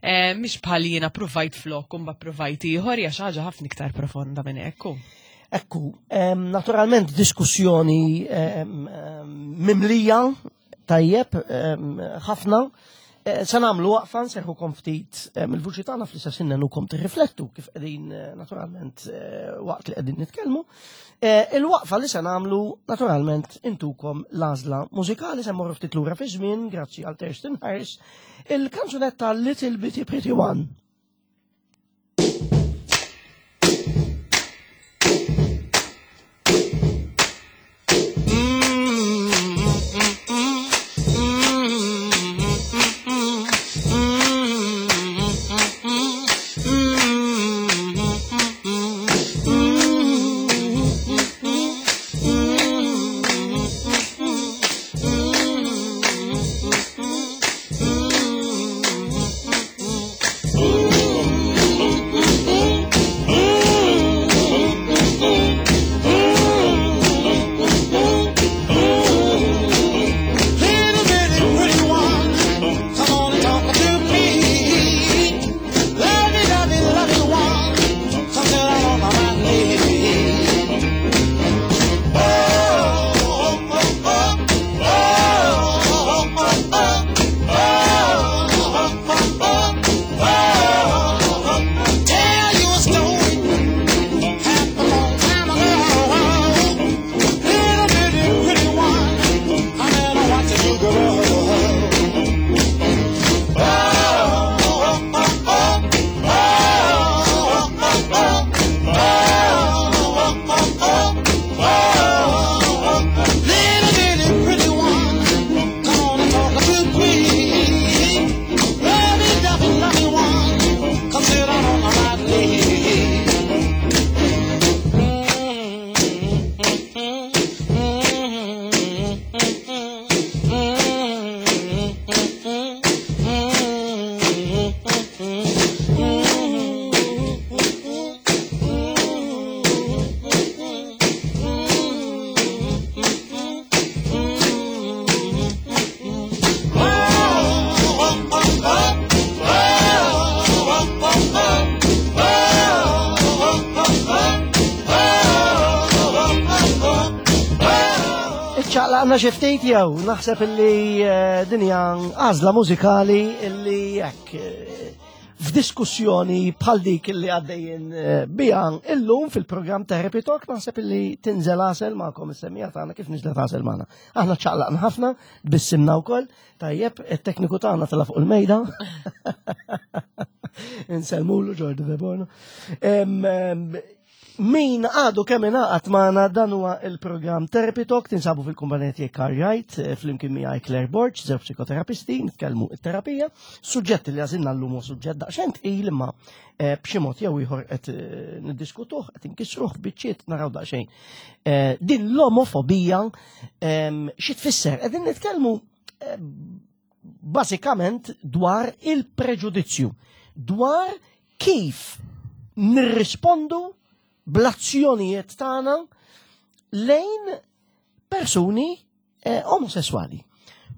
eh, mhix bħal jiena provajt flok u mbagħad provajt ieħor hija xi ħaġa ħafna iktar profonda minn hekk. Ekku, naturalment diskussjoni mimlija tajjeb ħafna. Eh, se nagħmlu waqfa nserħukom ftit il-vuċi tagħna fl-istess ħin nukom tirriflettu kif qegħdin eh, naturalment waqt li qegħdin nitkellmu. Eh, il-waqfa li se nagħmlu naturalment intukom l-għażla mużikali se mmorru ftit lura fi żmien grazzi għal Thurston Harris il-kanzunetta Little Bitty Pretty One. Iċċaqlaqna xi ftit jew naħseb illi eh, din hija għażla mużikali illi hekk eh, f'diskussjoni bħal dik illi għaddejjin eh, biha illum fil-programm Therapy Talk naħseb illi tinżel għasel magħkom is-semmija tagħna kif niżlet għasel magħna. Aħna ċaqlaqna ħafna, tbissimna wkoll, tajjeb, it-tekniku tagħna tela' fuq il-mejda. Insellmulu Ġordi Deborno. Min għadu kemm ingħaqad magħna dan huwa il-programm Therapy Talk tinsabu fil-kumpanija tiegħek Karl Wright eh, flimkien miegħi Claire Borg, żewġ psikoterapisti, nitkellmu it-terapija. Suġġett li għażilna llum huwa suġġett daqsxejn tqil imma eh, b'xi mod jew ieħor qed eh, niddiskutuh, qed inkissruh biċċiet naraw daqsxejn. Din l-omofobija ehm, xi tfisser? Qegħdin nitkellmu bażikament dwar il-preġudizzju, dwar kif nirrispondu bl-azzjonijiet tagħna lejn persuni eh, omosessuali.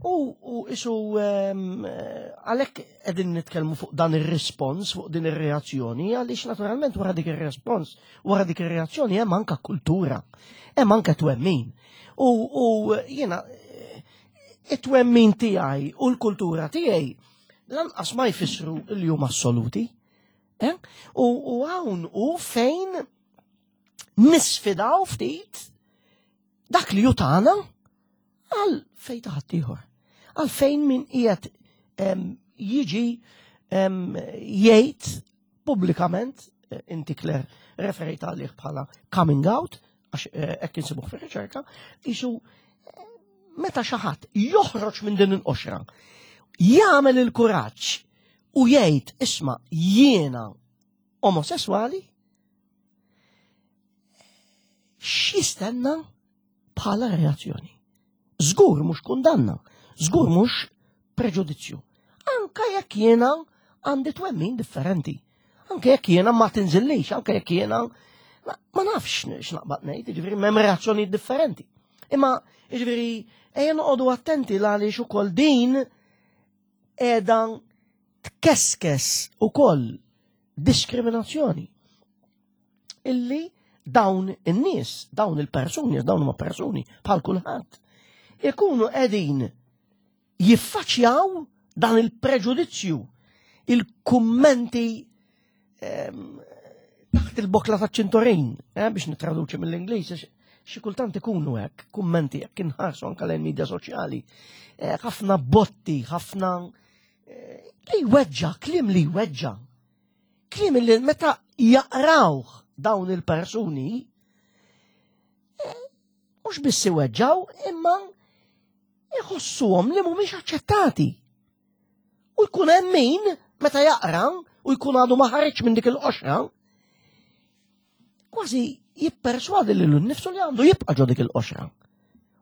U, u isu ehm, għalhekk qegħdin nitkellmu fuq dan ir-rispons, fuq din ir-reazzjoni, għaliex naturalment wara dik ir-respons, wara dik ir-reazzjoni hemm anka kultura, hemm anka twemmin. U, u jiena eh, it-twemmin tiegħi u l-kultura tiegħi lanqas ma jfissru li huma assoluti. Eh? U hawn u fejn nisfidaw ftit dak li jutana għal fejn ta' ħaddieħor. Għal fejn min qiegħed jiġi jgħid pubblikament, eh, inti Claire referejt għalih bħala coming out, għax eh, hekk insibuh fir-riċerka, isu eh, meta xi ħadd joħroġ minn din il-qoxra, jagħmel il-kuraġġ u jgħid isma' jiena omosessuali, x'jistenna bħala reazzjoni? Żgur mhux kundanna, żgur mhux preġudizzju. Anka jekk jiena għandi twemmin differenti. Anke jekk jiena ma tinżillix, anke jekk jiena ma nafx x'naqbad ngħid, jiġifieri m'hemm reazzjonijiet differenti. Imma jiġifieri ejja noqogħdu attenti għaliex ukoll din qiegħda tkeskes ukoll diskriminazzjoni illi dawn in-nies, dawn il-persuni, dawn huma persuni bħal kulħadd, ikunu qegħdin jiffaċċjaw dan il-preġudizzju, il-kummenti ehm, taħt il-bokla ta' ċintorin, eh, biex nitraduċi mill-Ingliż, xi kultant ikunu hekk, kummenti hekk inħarsu anke lejn media soċjali, eh, ħafna botti, ħafna eh, li jweġġa, klim li jweġġa. Klim li meta jaqrawh dawn il-persuni, mhux biss iweġġaw, imma iħossuhom li mhumiex aċċettati. U jkun hemm min meta jaqra u jkun għadu ma ħareġ minn dik il-qoxra, kważi jipperswadi lilu nnifsu li għandu jibqa' ġo dik il-qoxra.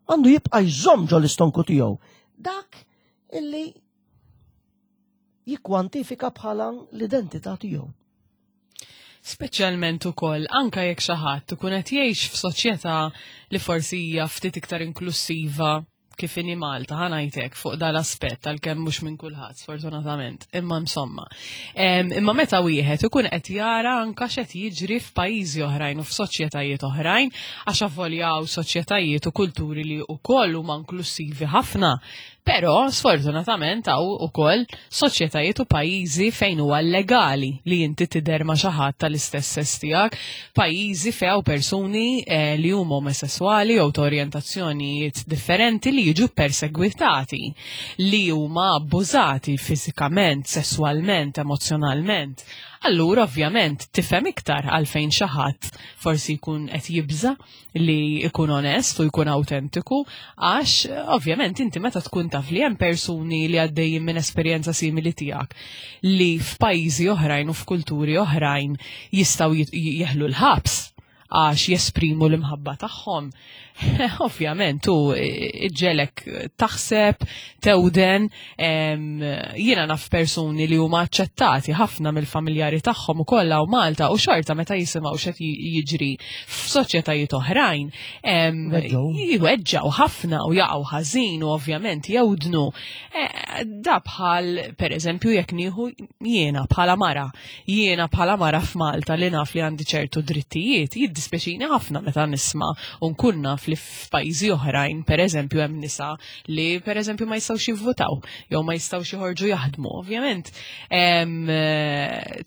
Għandu jibqa' jżomm ġo l-istonku tiegħu. Dak illi jikkwantifika bħala l-identità tiegħu. Speċjalment ukoll anka jekk xi ħadd ikun qed jgħix f'soċjetà li forsi hija ftit iktar inklusiva kif inhi Malta, ħa ngħidlek fuq dal-aspett għalkemm mhux minn kulħadd sfortunatament, imma insomma. Imma meta wieħed ikun qed jara anka x'qed jiġri f'pajjiżi oħrajn u f'soċjetajiet oħrajn, għax avolja hawn soċjetajiet u kulturi li wkoll huma inklusivi ħafna, Però, sfortunatament, hawn ukoll soċjetajiet u pajjiżi fejn huwa llegali li inti tidher ma' xi ħadd tal-istess sess tiegħek, pajjiżi fejn hawn persuni eh, li huma omosesswali jew ta' orjentazzjonijiet differenti li jiġu persegwitati, li huma abbużati fiżikament, sesswalment, emozzjonalment. Allura ovvjament tifhem iktar għalfejn xi ħadd forsi jkun qed jibża' li jkun onest u jkun autentiku, għax ovvjament inti meta tkun taf li hemm persuni li għaddejjin minn esperjenza simili tiegħek li f'pajjiżi oħrajn u f'kulturi oħrajn jistgħu jeħlu l-ħabs għax jesprimu l-imħabba tagħhom. Ovvjament, u ġelek taħseb, tewden, jiena naf persuni li huma aċċettati ħafna mill-familjari tagħhom ukoll hawn Malta u xorta meta jisimgħu x'qed jiġri f'soċjetajiet oħrajn, jweġġgħu ħafna u jaqgħu ħażin u ovvjament jewdnu. E, da bħal pereżempju jekk nieħu jiena bħala mara, jiena bħala mara f'Malta li naf li għandi ċertu drittijiet, jiddispjaċini ħafna meta nisma' u nkun naf li f'pajjiżi oħrajn, pereżempju hemm nisa li pereżempju ma jistgħux jivvotaw jew ma jistgħux joħorġu jaħdmu. Ovvjament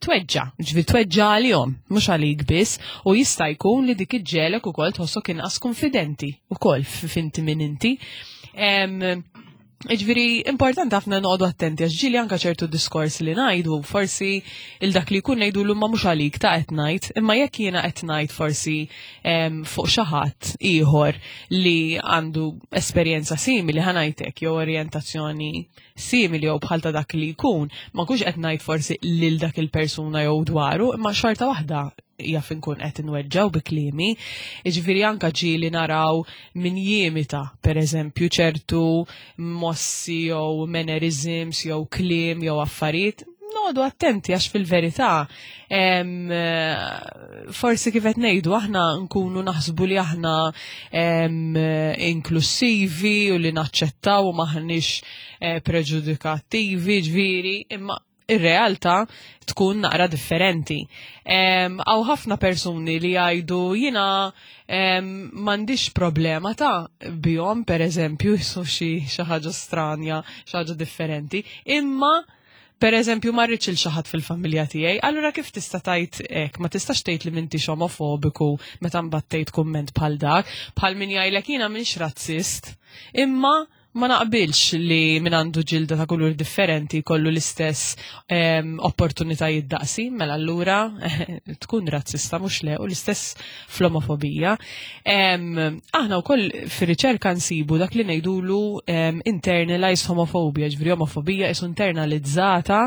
tweġġa, ġifieri tweġġa għalihom, mhux għalik biss, u jista' jkun li dik iġġelek ukoll tħossok inqas konfidenti ukoll f'inti min inti. Ġifieri, importanti ħafna noqogħdu attenti għax ġieli anka ċertu diskors li ngħidu, forsi il dak li jkun ngħidu l ma mhux għalik ta' qed ngħid, imma jekk jiena qed ngħid forsi fuq xi ħadd ieħor li għandu esperjenza simili ħa ngħidlek jew orjentazzjoni simili jew bħal ta' dak li jkun, ma nkunx qed ngħid forsi lil dak il-persuna jew dwaru, imma xorta waħda jaf inkun qed inweġġaw bi kliemi. Jiġifieri anka ġieli naraw min jimita, per eżempju, ċertu mossi jew mannerisms jew kliem jew affarijiet. Noqogħdu attenti għax fil-verità forsi kif qed ngħidu aħna nkunu naħsbu li aħna inklusivi u li naċċettaw u maħniex eh, preġudikattivi, ġifieri, imma ir-realtà tkun naqra differenti. Hawn ħafna persuni li jgħidu jiena m'għandix problema ta' bihom, per eżempju, jisu xi ħaġa stranja, xi ħaġa differenti, imma per eżempju ma rridx il xi ħadd fil-familja tiegħi, allura kif tista' tgħid hekk? Ma tistax tgħid li m'intix omofobiku meta mbagħad tgħid kumment bħal dak, bħal min jgħidlek jiena m'iniex razzist, imma ma naqbilx li min għandu ġilda ta' kulur differenti kollu l-istess opportunitajiet daqsi, mela allura tkun razzista mhux le u l-istess fl-omofobija. Aħna wkoll fir-riċerka nsibu dak li ngħidulu internalized homophobia, ġifieri omofobija isu internalizzata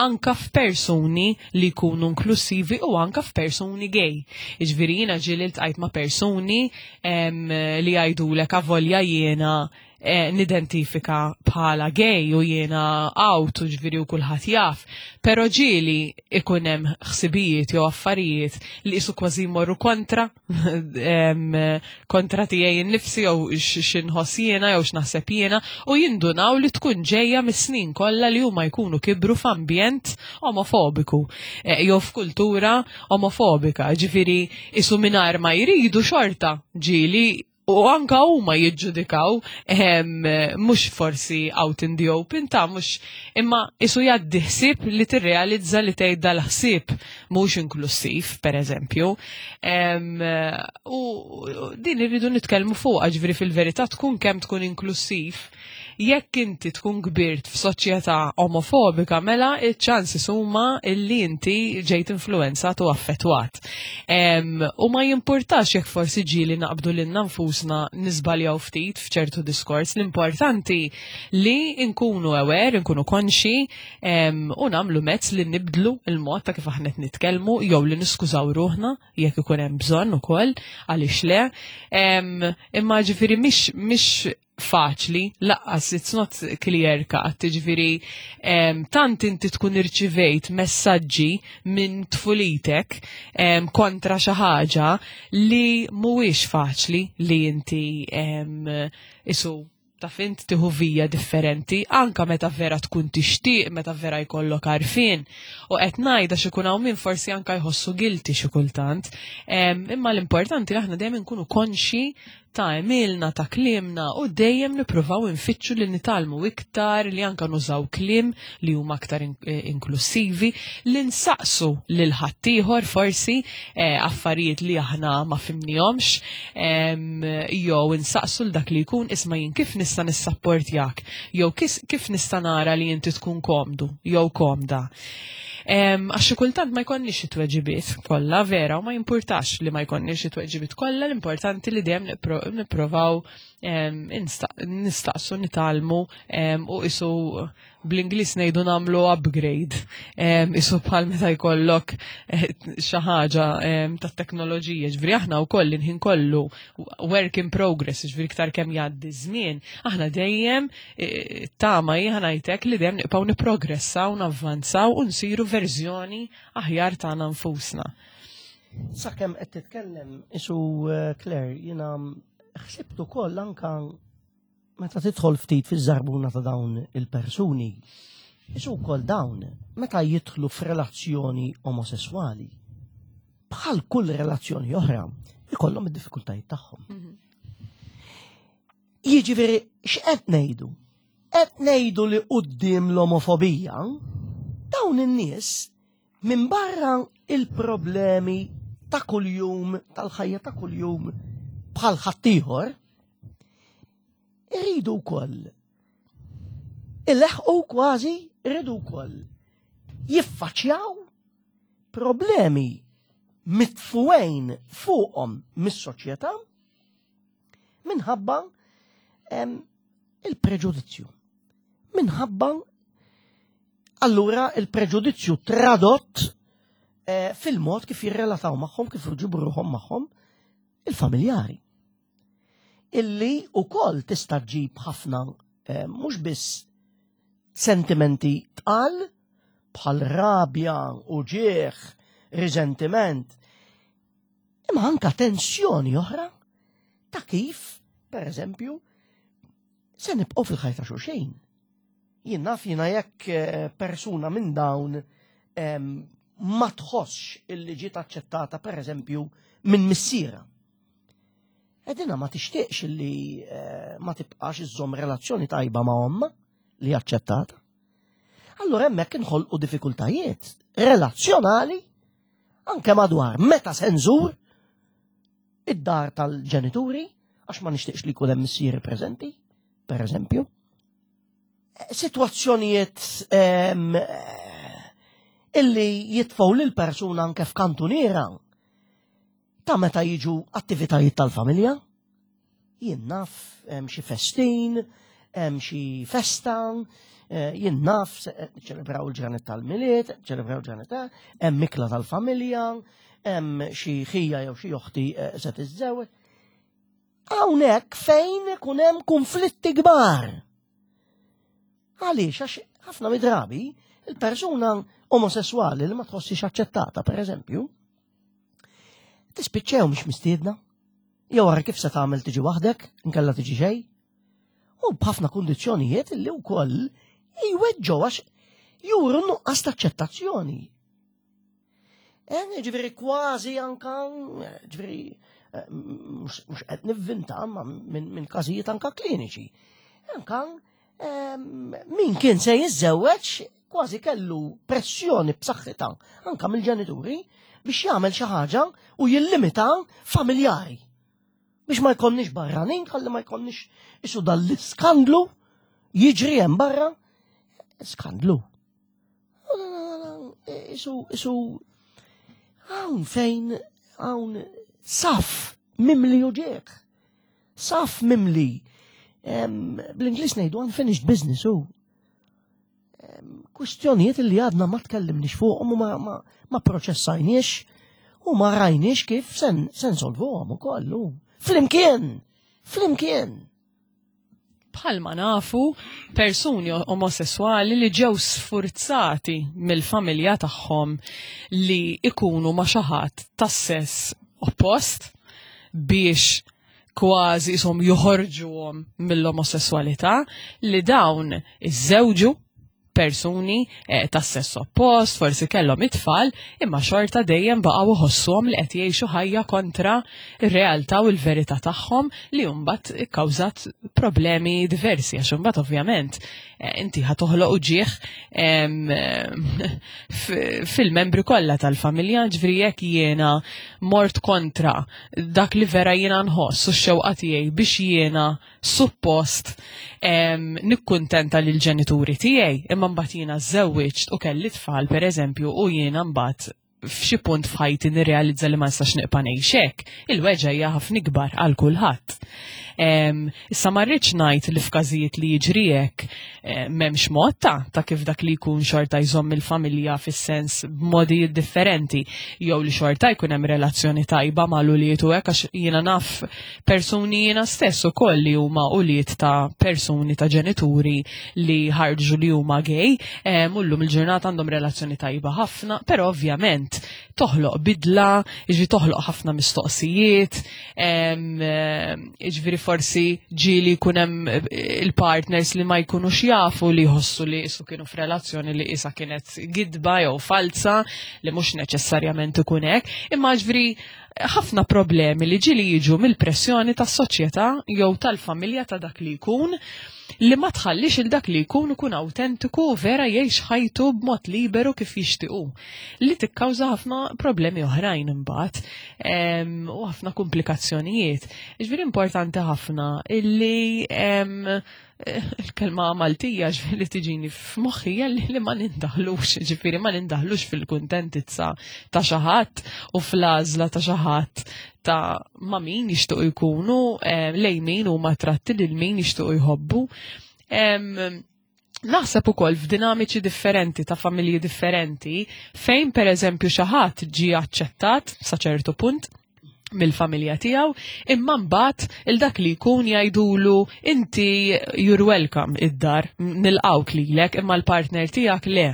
anka f'persuni li jkunu inklusivi u anka f'persuni gay. Ġifieri jiena ġieli ltqajt ma' persuni li jgħidulek avolja jiena nidentifika bħala gay u jiena out u ġifieri u kulħadd jaf. Però ġieli ikun hemm ħsibijiet jew affarijiet li isu kważi jmorru kontra kontra tiegħi nnifsi jew x'inħoss jiena jew x'naħseb jiena u jindunaw li tkun ġejja mis-snin kollha li huma jkunu kibru f'ambjent omofobiku jew f'kultura omofobika. Ġifieri isu mingħajr ma jridu xorta ġieli u anka huma jiġġudikaw mhux forsi out in the open ta' mhux imma isu jgħaddi ħsieb li tirrealizza li tgħid dal-ħsieb mhux inklusiv, per eżempju. U din irridu nitkellmu fuqha, ġifieri fil-verità tkun kemm tkun inklusiv, jekk inti tkun kbirt f'soċjetà omofobika, mela iċ-ċansi huma illi inti ġejt influenzat u affettwat. U ma jimpurtax jekk forsi ġieli naqbdu lilna nfusna niżbaljaw ftit f'ċertu diskors, l-importanti li nkunu aware, nkunu konxi u nagħmlu mezz li nibdlu il-mod ta' kif aħna qed nitkellmu jew li niskużaw ruħna jekk ikun hemm bżonn ukoll għaliex le. Imma ġifieri mhix faċli, lanqas it's not clear cut, ġifieri tant inti tkun irċivejt messaġġi minn tfulitek kontra xi ħaġa li mhuwiex faċli li inti isu taf int tieħu vija differenti, anka meta vera tkun tixtieq, meta vera jkollok għarfien. U qed ngħidha xi jkun hawn min forsi anka jħossu guilty xi kultant. Imma l-importanti li aħna dejjem nkunu konxi ta' għemilna, ta' kliemna u dejjem nippruvaw infittxu li nitgħallmu iktar, li anka nużaw kliem li huma aktar inklusivi, li nsaqsu lil ħaddieħor forsi affarijiet li aħna ma fhimnihomx, jew insaqsu l dak li jkun isma' jien kif nista' nissapportjak, jew kif nista' nara li inti tkun komdu jew komda. Għax xi kultant ma jkollniex it-tweġibiet kollha vera u ma jimpurtax li ma jkollniex it-tweġibiet kollha, l-importanti li dejjem nipprovaw nistaqsu, nitgħallmu u isu bl-Ingliż ngħidu nagħmlu upgrade. Isu bħal meta jkollok xi ħaġa tat-teknoloġija, ġifieri aħna wkoll il-ħin kollu work in progress, ġifieri iktar kemm jgħaddi żmien, aħna dejjem tama hi ngħidlek li dejjem nibqgħu nipprogressaw, navvanzaw u nsiru verżjoni aħjar tagħna nfusna. Sakemm qed titkellem isu Claire, jiena ħsibt ukoll anka meta tidħol ftit fiż-żarbuna ta' dawn il-persuni, isu wkoll dawn meta jidħlu f'relazzjoni omosessuali, bħal kull relazzjoni oħra, ikollhom id-diffikultajiet tagħhom. Jiġifieri x'qed ngħidu? Qed ngħidu li quddiem l-omofobija dawn in-nies minn barra il-problemi ta' kuljum, tal-ħajja ta' kuljum bħal ħaddieħor, iridu wkoll Ileħqu kważi rridu wkoll jiffaċċjaw problemi mitfuwejn fuqhom mis-soċjetà minħabba il-preġudizzju. Minħabba allura il-preġudizzju tradott eh, fil-mod kif jirrelataw magħhom, kif jġibu ruħhom magħhom il-familjari. Illi ukoll tista' ġġib ħafna eh, mhux biss sentimenti tqal bħal rabja, uġieħ, riżentiment, imma anka tensjoni oħra ta' kif, per eżempju, se nibqgħu fil-ħajja ta' xulxin. Jien naf jiena jekk eh, persuna minn dawn ma tħossx illi ġiet aċċettata per eżempju minn missiera. Edina ma tixtieqx illi eh, ma tibqax iżżomm relazzjoni tajba ma' omma li aċċettata. Allura hemmhekk inħolqu diffikultajiet relazzjonali anke madwar meta se nżur id-dar tal-ġenituri għax ma nixtieqx li jkun hemm missieri preżenti, per eżempju. Sitwazzjonijiet ehm, illi jitfgħu lil persuna anke f'kantuniera ta' meta jiġu attivitajiet tal-familja. Jien naf hemm xi festin, hemm xi festa, eh, jien naf eh, ċelebraw il-ġranet tal-miliet, ċelebraw il-ġranet ta' hemm mikla tal-familja, hemm xi ħija jew xi oħti eh, se tiżżewweġ. Hawnhekk fejn ikun hemm konflitti kbar. Għaliex għax ħafna midrabi il-persuna omosessuali li ma tħossix aċċettata, per eżempju, tispiċċew mhix mistiedna. Jew ara kif se tagħmel tiġi waħdek, inkella tiġi xejn. U b'ħafna kundizzjonijiet li wkoll jweġġgħu għax juru nuqqas ta' aċċettazzjoni. Eh, ġifieri kważi anka, ġifieri eh, mhux qed nivvinta ma minn każijiet anka kliniċi. Anka min kien se jiżżewweġ kważi kellu pressjoni b'saħħitha anka mill-ġenituri biex jagħmel xi ħaġa u jillimita familjari. Biex ma jkollniex barranin, ħalli ma jkollniex isu dal-iskandlu jiġri hemm barra. Skandlu. Isu, isu, hawn fejn, hawn saf mimli uġieħ. Saf mimli. Bl-Inglis ngħidu unfinished business u kwistjonijiet li għadna ma tkellimniex fuqhom u ma, ma, ma proċessajniex u ma rajniex kif sen, sen solvuhom ukoll. Flimkien! Flimkien! Bħalma nafu persuni omosessuali li ġew sfurzati mill-familja tagħhom li ikunu ma' xi ħadd tas-sess oppost biex kważi ishom joħorġuhom mill-omosessualità li dawn iżżewġu persuni eh, tas sess oppost, forsi kellhom it-tfal, imma xorta dejjem baqgħu iħossuhom li qed jgħixu ħajja kontra r-realtà u l-verità tagħhom li mbagħad ikkawżat problemi diversi għax imbagħad ovvjament eh, inti ħa toħloq uġieħ fil-membri kollha tal-familja, ġifieri jekk jiena mort kontra dak li vera jiena nħoss u x-xewqa tiegħi biex jiena suppost nikkuntenta lil ġenituri tiegħi, imma mbagħad jiena żewwiġt u kelli tfal pereżempju u jiena mbagħad f'xi punt f'ħajti nirrealizza li ma nistax nibqa' ngħix hekk, il-weġgħa hija ħafna ikbar għal kulħadd. Issa ma rridx ngħid li f'każijiet li jiġri hekk eh, m'hemmx mod ta' ta' kif dak li jkun xorta jżomm il-familja fis-sens b'modi differenti jew li xorta jkun hemm relazzjoni tajba mal ulied u hekk għax jiena naf persuni jiena stess ukoll li huma ulied ta' persuni ta' ġenituri li ħarġu li huma gay, eh, mullum il-ġurnata għandhom relazzjoni tajba ħafna, però ovvjament toħloq bidla, jiġri toħloq ħafna mistoqsijiet, eh, jiġifieri forsi ġieli jkun hemm eh, il-partners li ma jkunux jafu li jħossu li jisu kienu f'relazzjoni li isa kienet gidba jew falsa li mhux neċessarjament ikun hekk, imma ġifieri ħafna problemi li ġieli jiġu mill-pressjoni tas-soċjetà jew tal-familja ta' dak li jkun li ma tħallix il dak li jkun ikun awtentiku u vera jgħix ħajtu b'mod liberu kif jixtiequ li tikkawża ħafna problemi oħrajn imbagħad u ħafna komplikazzjonijiet. Ġifieri importanti ħafna illi. Il-kelma Maltija ġifieri tiġini f'moħħi li ma nindaħlux, ġifieri ma nindaħlux fil-kuntentizza ta' xi ħadd u fl-għażla ta' xi ħadd ta' ma' min jixtuq jkunu, lej min huma tratti lil min jixtuq jħobbu. Naħseb ukoll f'dinamiċi differenti ta' familji differenti fejn pereżempju xi ħadd ġie aċċettat sa ċertu punt mill-familja tiegħu, imma mbagħad il dak li jkun jgħidulu inti you're welcome id-dar, nilqawk lilek, imma l-partner tiegħek le.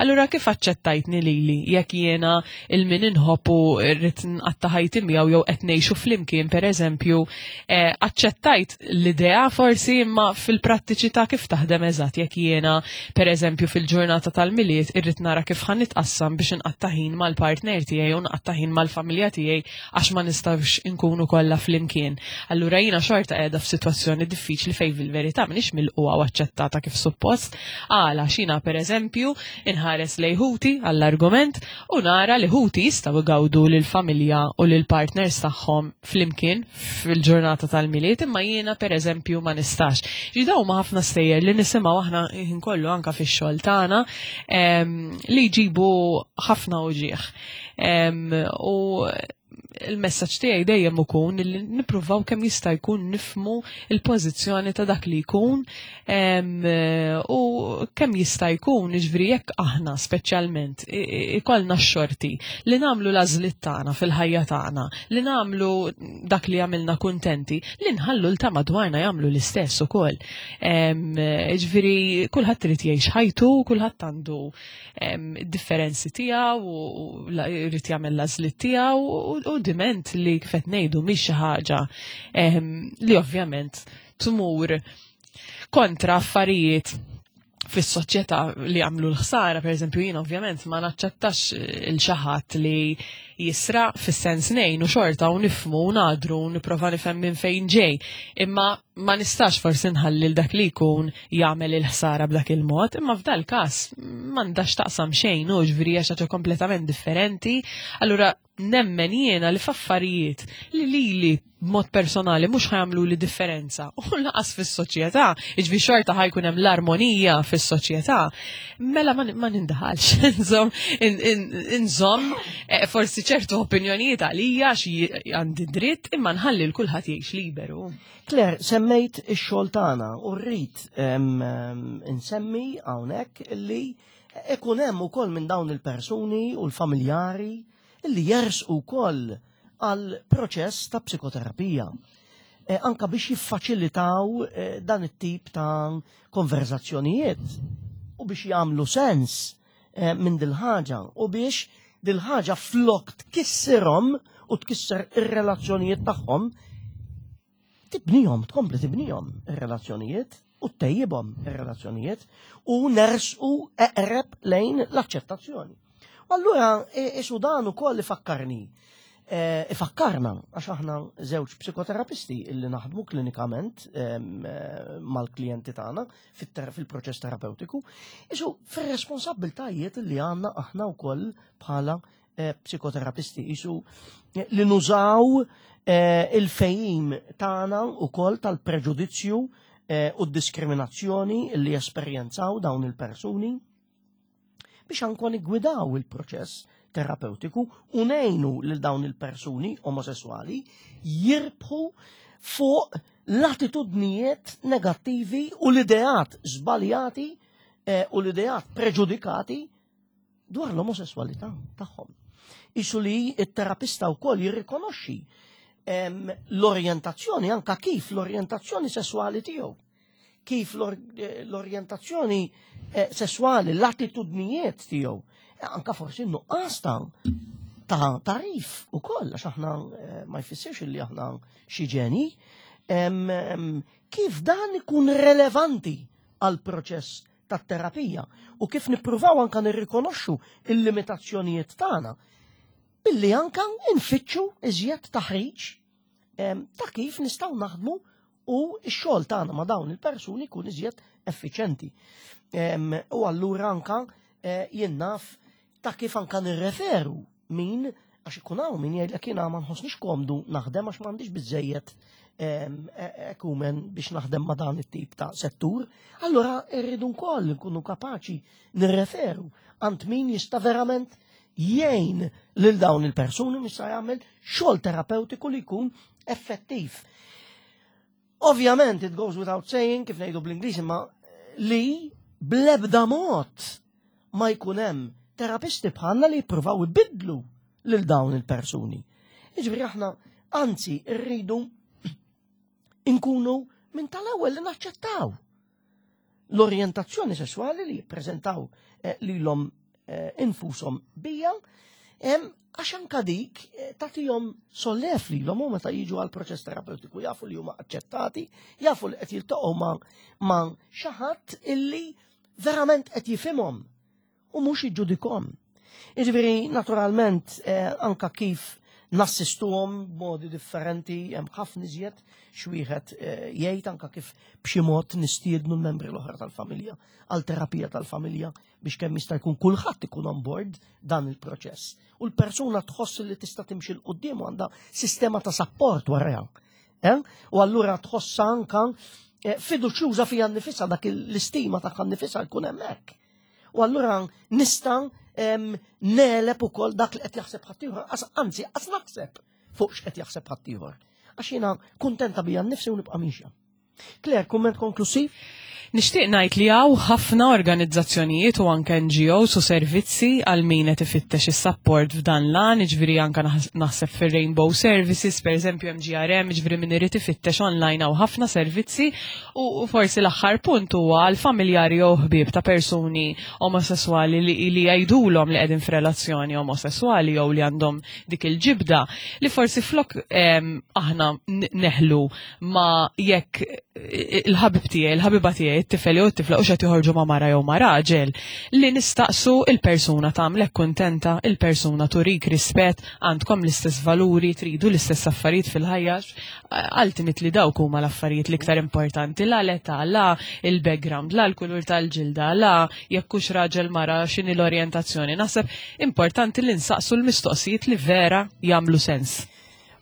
Allura kif aċċettajtni lili jekk jiena il-min inħobb u rrid nqatta' ħajti miegħu jew qed ngħixu flimkien pereżempju, eh, aċċettajt l-idea forsi imma fil-prattiċità kif taħdem eżatt jekk jiena pereżempju fil-ġurnata tal-Milied irrid nara kif ħa nitqassam biex inqatta' ħin mal-partner tiegħi u nqatta' ħin mal-familja tiegħi għax ma nistgħux inkunu kollha flimkien. Allura jiena xorta qiegħda f'sitwazzjoni diffiċli fejn fil-verità m'iniex milqugħa u aċċettata kif suppost. Għala xina pereżempju inħares lejn ħuti għall-argument u nara li ħuti jistgħu igawdu lill-familja u lill-partners tagħhom flimkien fil-ġurnata tal-Milied imma jiena pereżempju ma nistax. Ġi dawn huma ħafna stejjer li nisimgħu aħna ħin kollu anka fix-xogħol tagħna li jġibu ħafna uġieħ. U il-messaġġ tiegħi dejjem ikun li nippruvaw kemm jista' jkun nifmu il-pożizzjoni ta' dak li jkun u kemm jista' jkun jiġifieri jekk aħna speċjalment ikollna x-xorti li nagħmlu l-għażliet tagħna fil-ħajja tagħna, li nagħmlu dak li jagħmilna kuntenti, li nħallu l ta' madwarna jagħmlu l-istess ukoll. Jiġifieri kulħadd irid jgħix ħajtu, kulħadd għandu differenzi tiegħu u jrid jagħmel l-għażliet tiegħu u diment li kif qed ngħidu mhix xi ħaġa li ovvjament tmur kontra affarijiet fis-soċjetà li għamlu l-ħsara, per eżempju jien ovvjament ma naċċettax il-xaħat li jisra fis-sens nejn u xorta u nifmu u nadru u nipprova nifhem minn fejn ġej. Imma ma nistax forsi nħalli dak li jkun jagħmel il-ħsara b'dak il-mod, imma f'dal każ m'għandax taqsam xejn u ġifieri hija xi kompletament differenti. Allura nemmen jiena li f'affarijiet li lili b'mod personali mhux ħajamlu li differenza u laqas fis-soċjetà, jiġifieri xorta ħajkun hemm l-armonija fis-soċjetà, mela ma nindaħalx, inżomm inżomm eh, forsi ċertu opinjonijiet għalija xi għandi dritt imma nħalli l kulħadd jgħix liberu. Claire, semmejt ix-xogħol tagħna u rrid insemmi hawnhekk li ikun hemm ukoll minn dawn il-persuni u l-familjari li jersqu wkoll għal proċess ta' psikoterapija. E, anka biex jiffaċilitaw e, dan it-tip ta' konverzazzjonijiet u biex jagħmlu sens e, minn dil-ħaġa u biex dil-ħaġa flok tkissirhom u tkisser ir-relazzjonijiet tagħhom tibnihom, tkompli tibnihom ir-relazzjonijiet u ttejjibhom ir-relazzjonijiet u nersqu eqreb lejn l-aċċettazzjoni. U allura isu dan ukoll ifakkarni e, ifakkarna għax aħna żewġ psikoterapisti illi naħdmu klinikament e, mal-klijenti tagħna fil-proċess terapeutiku, isu fir-responsabbiltajiet li għandna aħna wkoll bħala Eh, psikoterapisti isu eh, li nużaw eh, il-fejim tagħna ukoll tal-preġudizzju u d-diskriminazzjoni li esperjenzaw dawn il-persuni biex anko niggwidaw il-proċess terapeutiku u nejnu lil dawn il-persuni omosessuali jirbħu fuq l-attitudnijiet negattivi u l-ideat żbaljati u l-ideat preġudikati dwar l-omosessualità tagħhom. Isu li it-terapista wkoll jirrikonoxxi l-orjentazzjoni anka kif l-orjentazzjoni sessuali tiegħu kif l-orjentazzjoni eh, sessuali, l-attitudnijiet tiegħu, eh, anka forsi nuqqas ta' ta' tarif u koll, għax aħna eh, ma jfissirx li aħna xi ġeni, kif dan ikun relevanti għal proċess tat-terapija u kif nippruvaw anka nirrikonoxxu il-limitazzjonijiet tagħna billi anka nfittxu iżjed taħriġ ta' kif nistgħu naħdmu u x-xogħol tagħna ma' dawn il-persuni jkun iżjed effiċenti. U allura anka eh, jien naf ta' kif anka nirreferu min Għax ikun hawn min jgħidlek jiena ma nħossnix komdu naħdem għax m'għandix biżejjed ekumen biex naħdem ma' dan it-tip ta' settur, allura rridu nkoll nkunu kapaċi nirreferu għand min jista' verament jgħin lil dawn il-persuni jista' jagħmel xogħol terapeutiku li jkun effettiv. Ovvjament, it goes without saying, kif ngħidu bl-Ingliż, imma li blebda mod ma jkun hemm terapisti bħalna li jippruvaw ibidlu lil dawn il-persuni. Jiġifieri aħna anzi rridu nkunu minn tal-ewwel li naċċettaw l-orjentazzjoni sesswali li jippreżentaw eh, lilhom eh, infushom bija, għax anka dik eh, tagħtihom sollef lilhom u meta jiġu għal proċess terapeutiku jafu li huma aċċettati, jafu li qed jiltaqgħu ma' xi ħadd illi verament qed jifhimhom u mhux jiġġudikhom. Jiġifieri naturalment eh, anka kif nassistuhom b'modi differenti hemm ħafna iżjed x'wieħed eh, jgħid anka kif b'xi mod nistiednu l-membri l-oħra tal-familja għal terapija tal-familja biex kemm jista' jkun kulħadd ikun on board dan il-proċess. U l-persuna tħoss li tista' timxi l quddiem u għandha sistema ta' sapport warajha. Eh? U allura tħossha anka eh, fiduċjuża fija nnifisha dak l-istima tagħha nnifisha jkun hemmhekk. U allura nista' neleb ukoll dak li qed jaħseb ħaddieħor, anzi qas naħseb fuq x'qed jaħseb ħaddieħor. Għax jiena kuntenta bija nnifsi u nibqa' mixja. Claire, kumment konklusiv? Nixtieq ngħid li hawn ħafna organizzazzjonijiet u anke NGOs u servizzi għal min qed ifittex is-sapport f'dan l-għan, jiġifieri anke naħseb fir-Rainbow Services, pereżempju MGRM, jiġifieri min irid ifittex online hawn ħafna servizzi u forsi l-aħħar punt huwa għal familjari jew ħbieb ta' persuni omosesswali li, li jgħidulhom li qegħdin f'relazzjoni omosesswali jew li għandhom dik il-ġibda li forsi flok aħna neħlu ma jekk il-ħabib tiegħi, il-ħabiba tiegħi, it-tifel jew it-tifla u xed joħorġu ma' mara jew ma' raġel, li nistaqsu il-persuna tagħmlek kuntenta, il-persuna turik rispett, għandkom l-istess valuri, tridu l-istess affarijiet fil-ħajja, ultimately dawk huma l-affarijiet l-iktar importanti, la l-età, la il-background, la l-kulur tal-ġilda, la jekk hux raġel mara x'inhi l-orjentazzjoni. Naħseb importanti li nsaqsu l-mistoqsijiet li vera jagħmlu sens.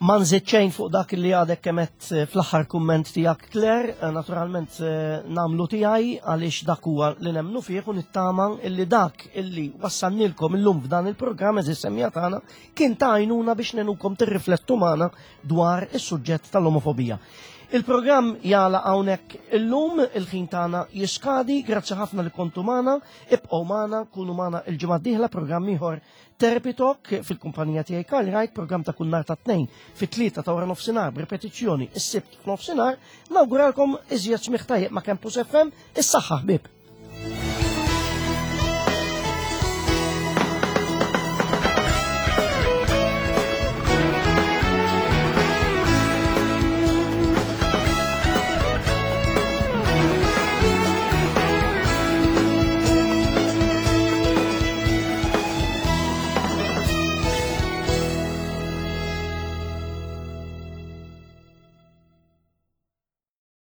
Ma nżid xejn fuq dak li għadek kemet eh, fl-aħħar kumment tiegħek Claire, eh, naturalment eh, namlu tiegħi għaliex dak huwa li nemmnu fih u nittama illi dak illi wassannilkom illum f'dan il-programm eżis semmija tagħna kien ta' għajnuna biex nenukom tirriflettu magħna dwar is-suġġett tal-omofobija. Il-programm jala hawnhekk illum il-ħin tagħna jiskadi, grazzi ħafna li kontu magħna, ibqgħu magħna, kunu magħna il-ġimgħa d-dieħla programm ieħor Therapy Talk fil-kumpanija tiegħi Karl Wright, programm ta' kull nhar ta' tnejn fit-tlieta ta' wara nofsinhar b'ripetizzjoni is-sibt f'nofsinhar, nawguralkom iżjed smigħ tajjeb ma' Campus FM, is-saħħa ħbieb.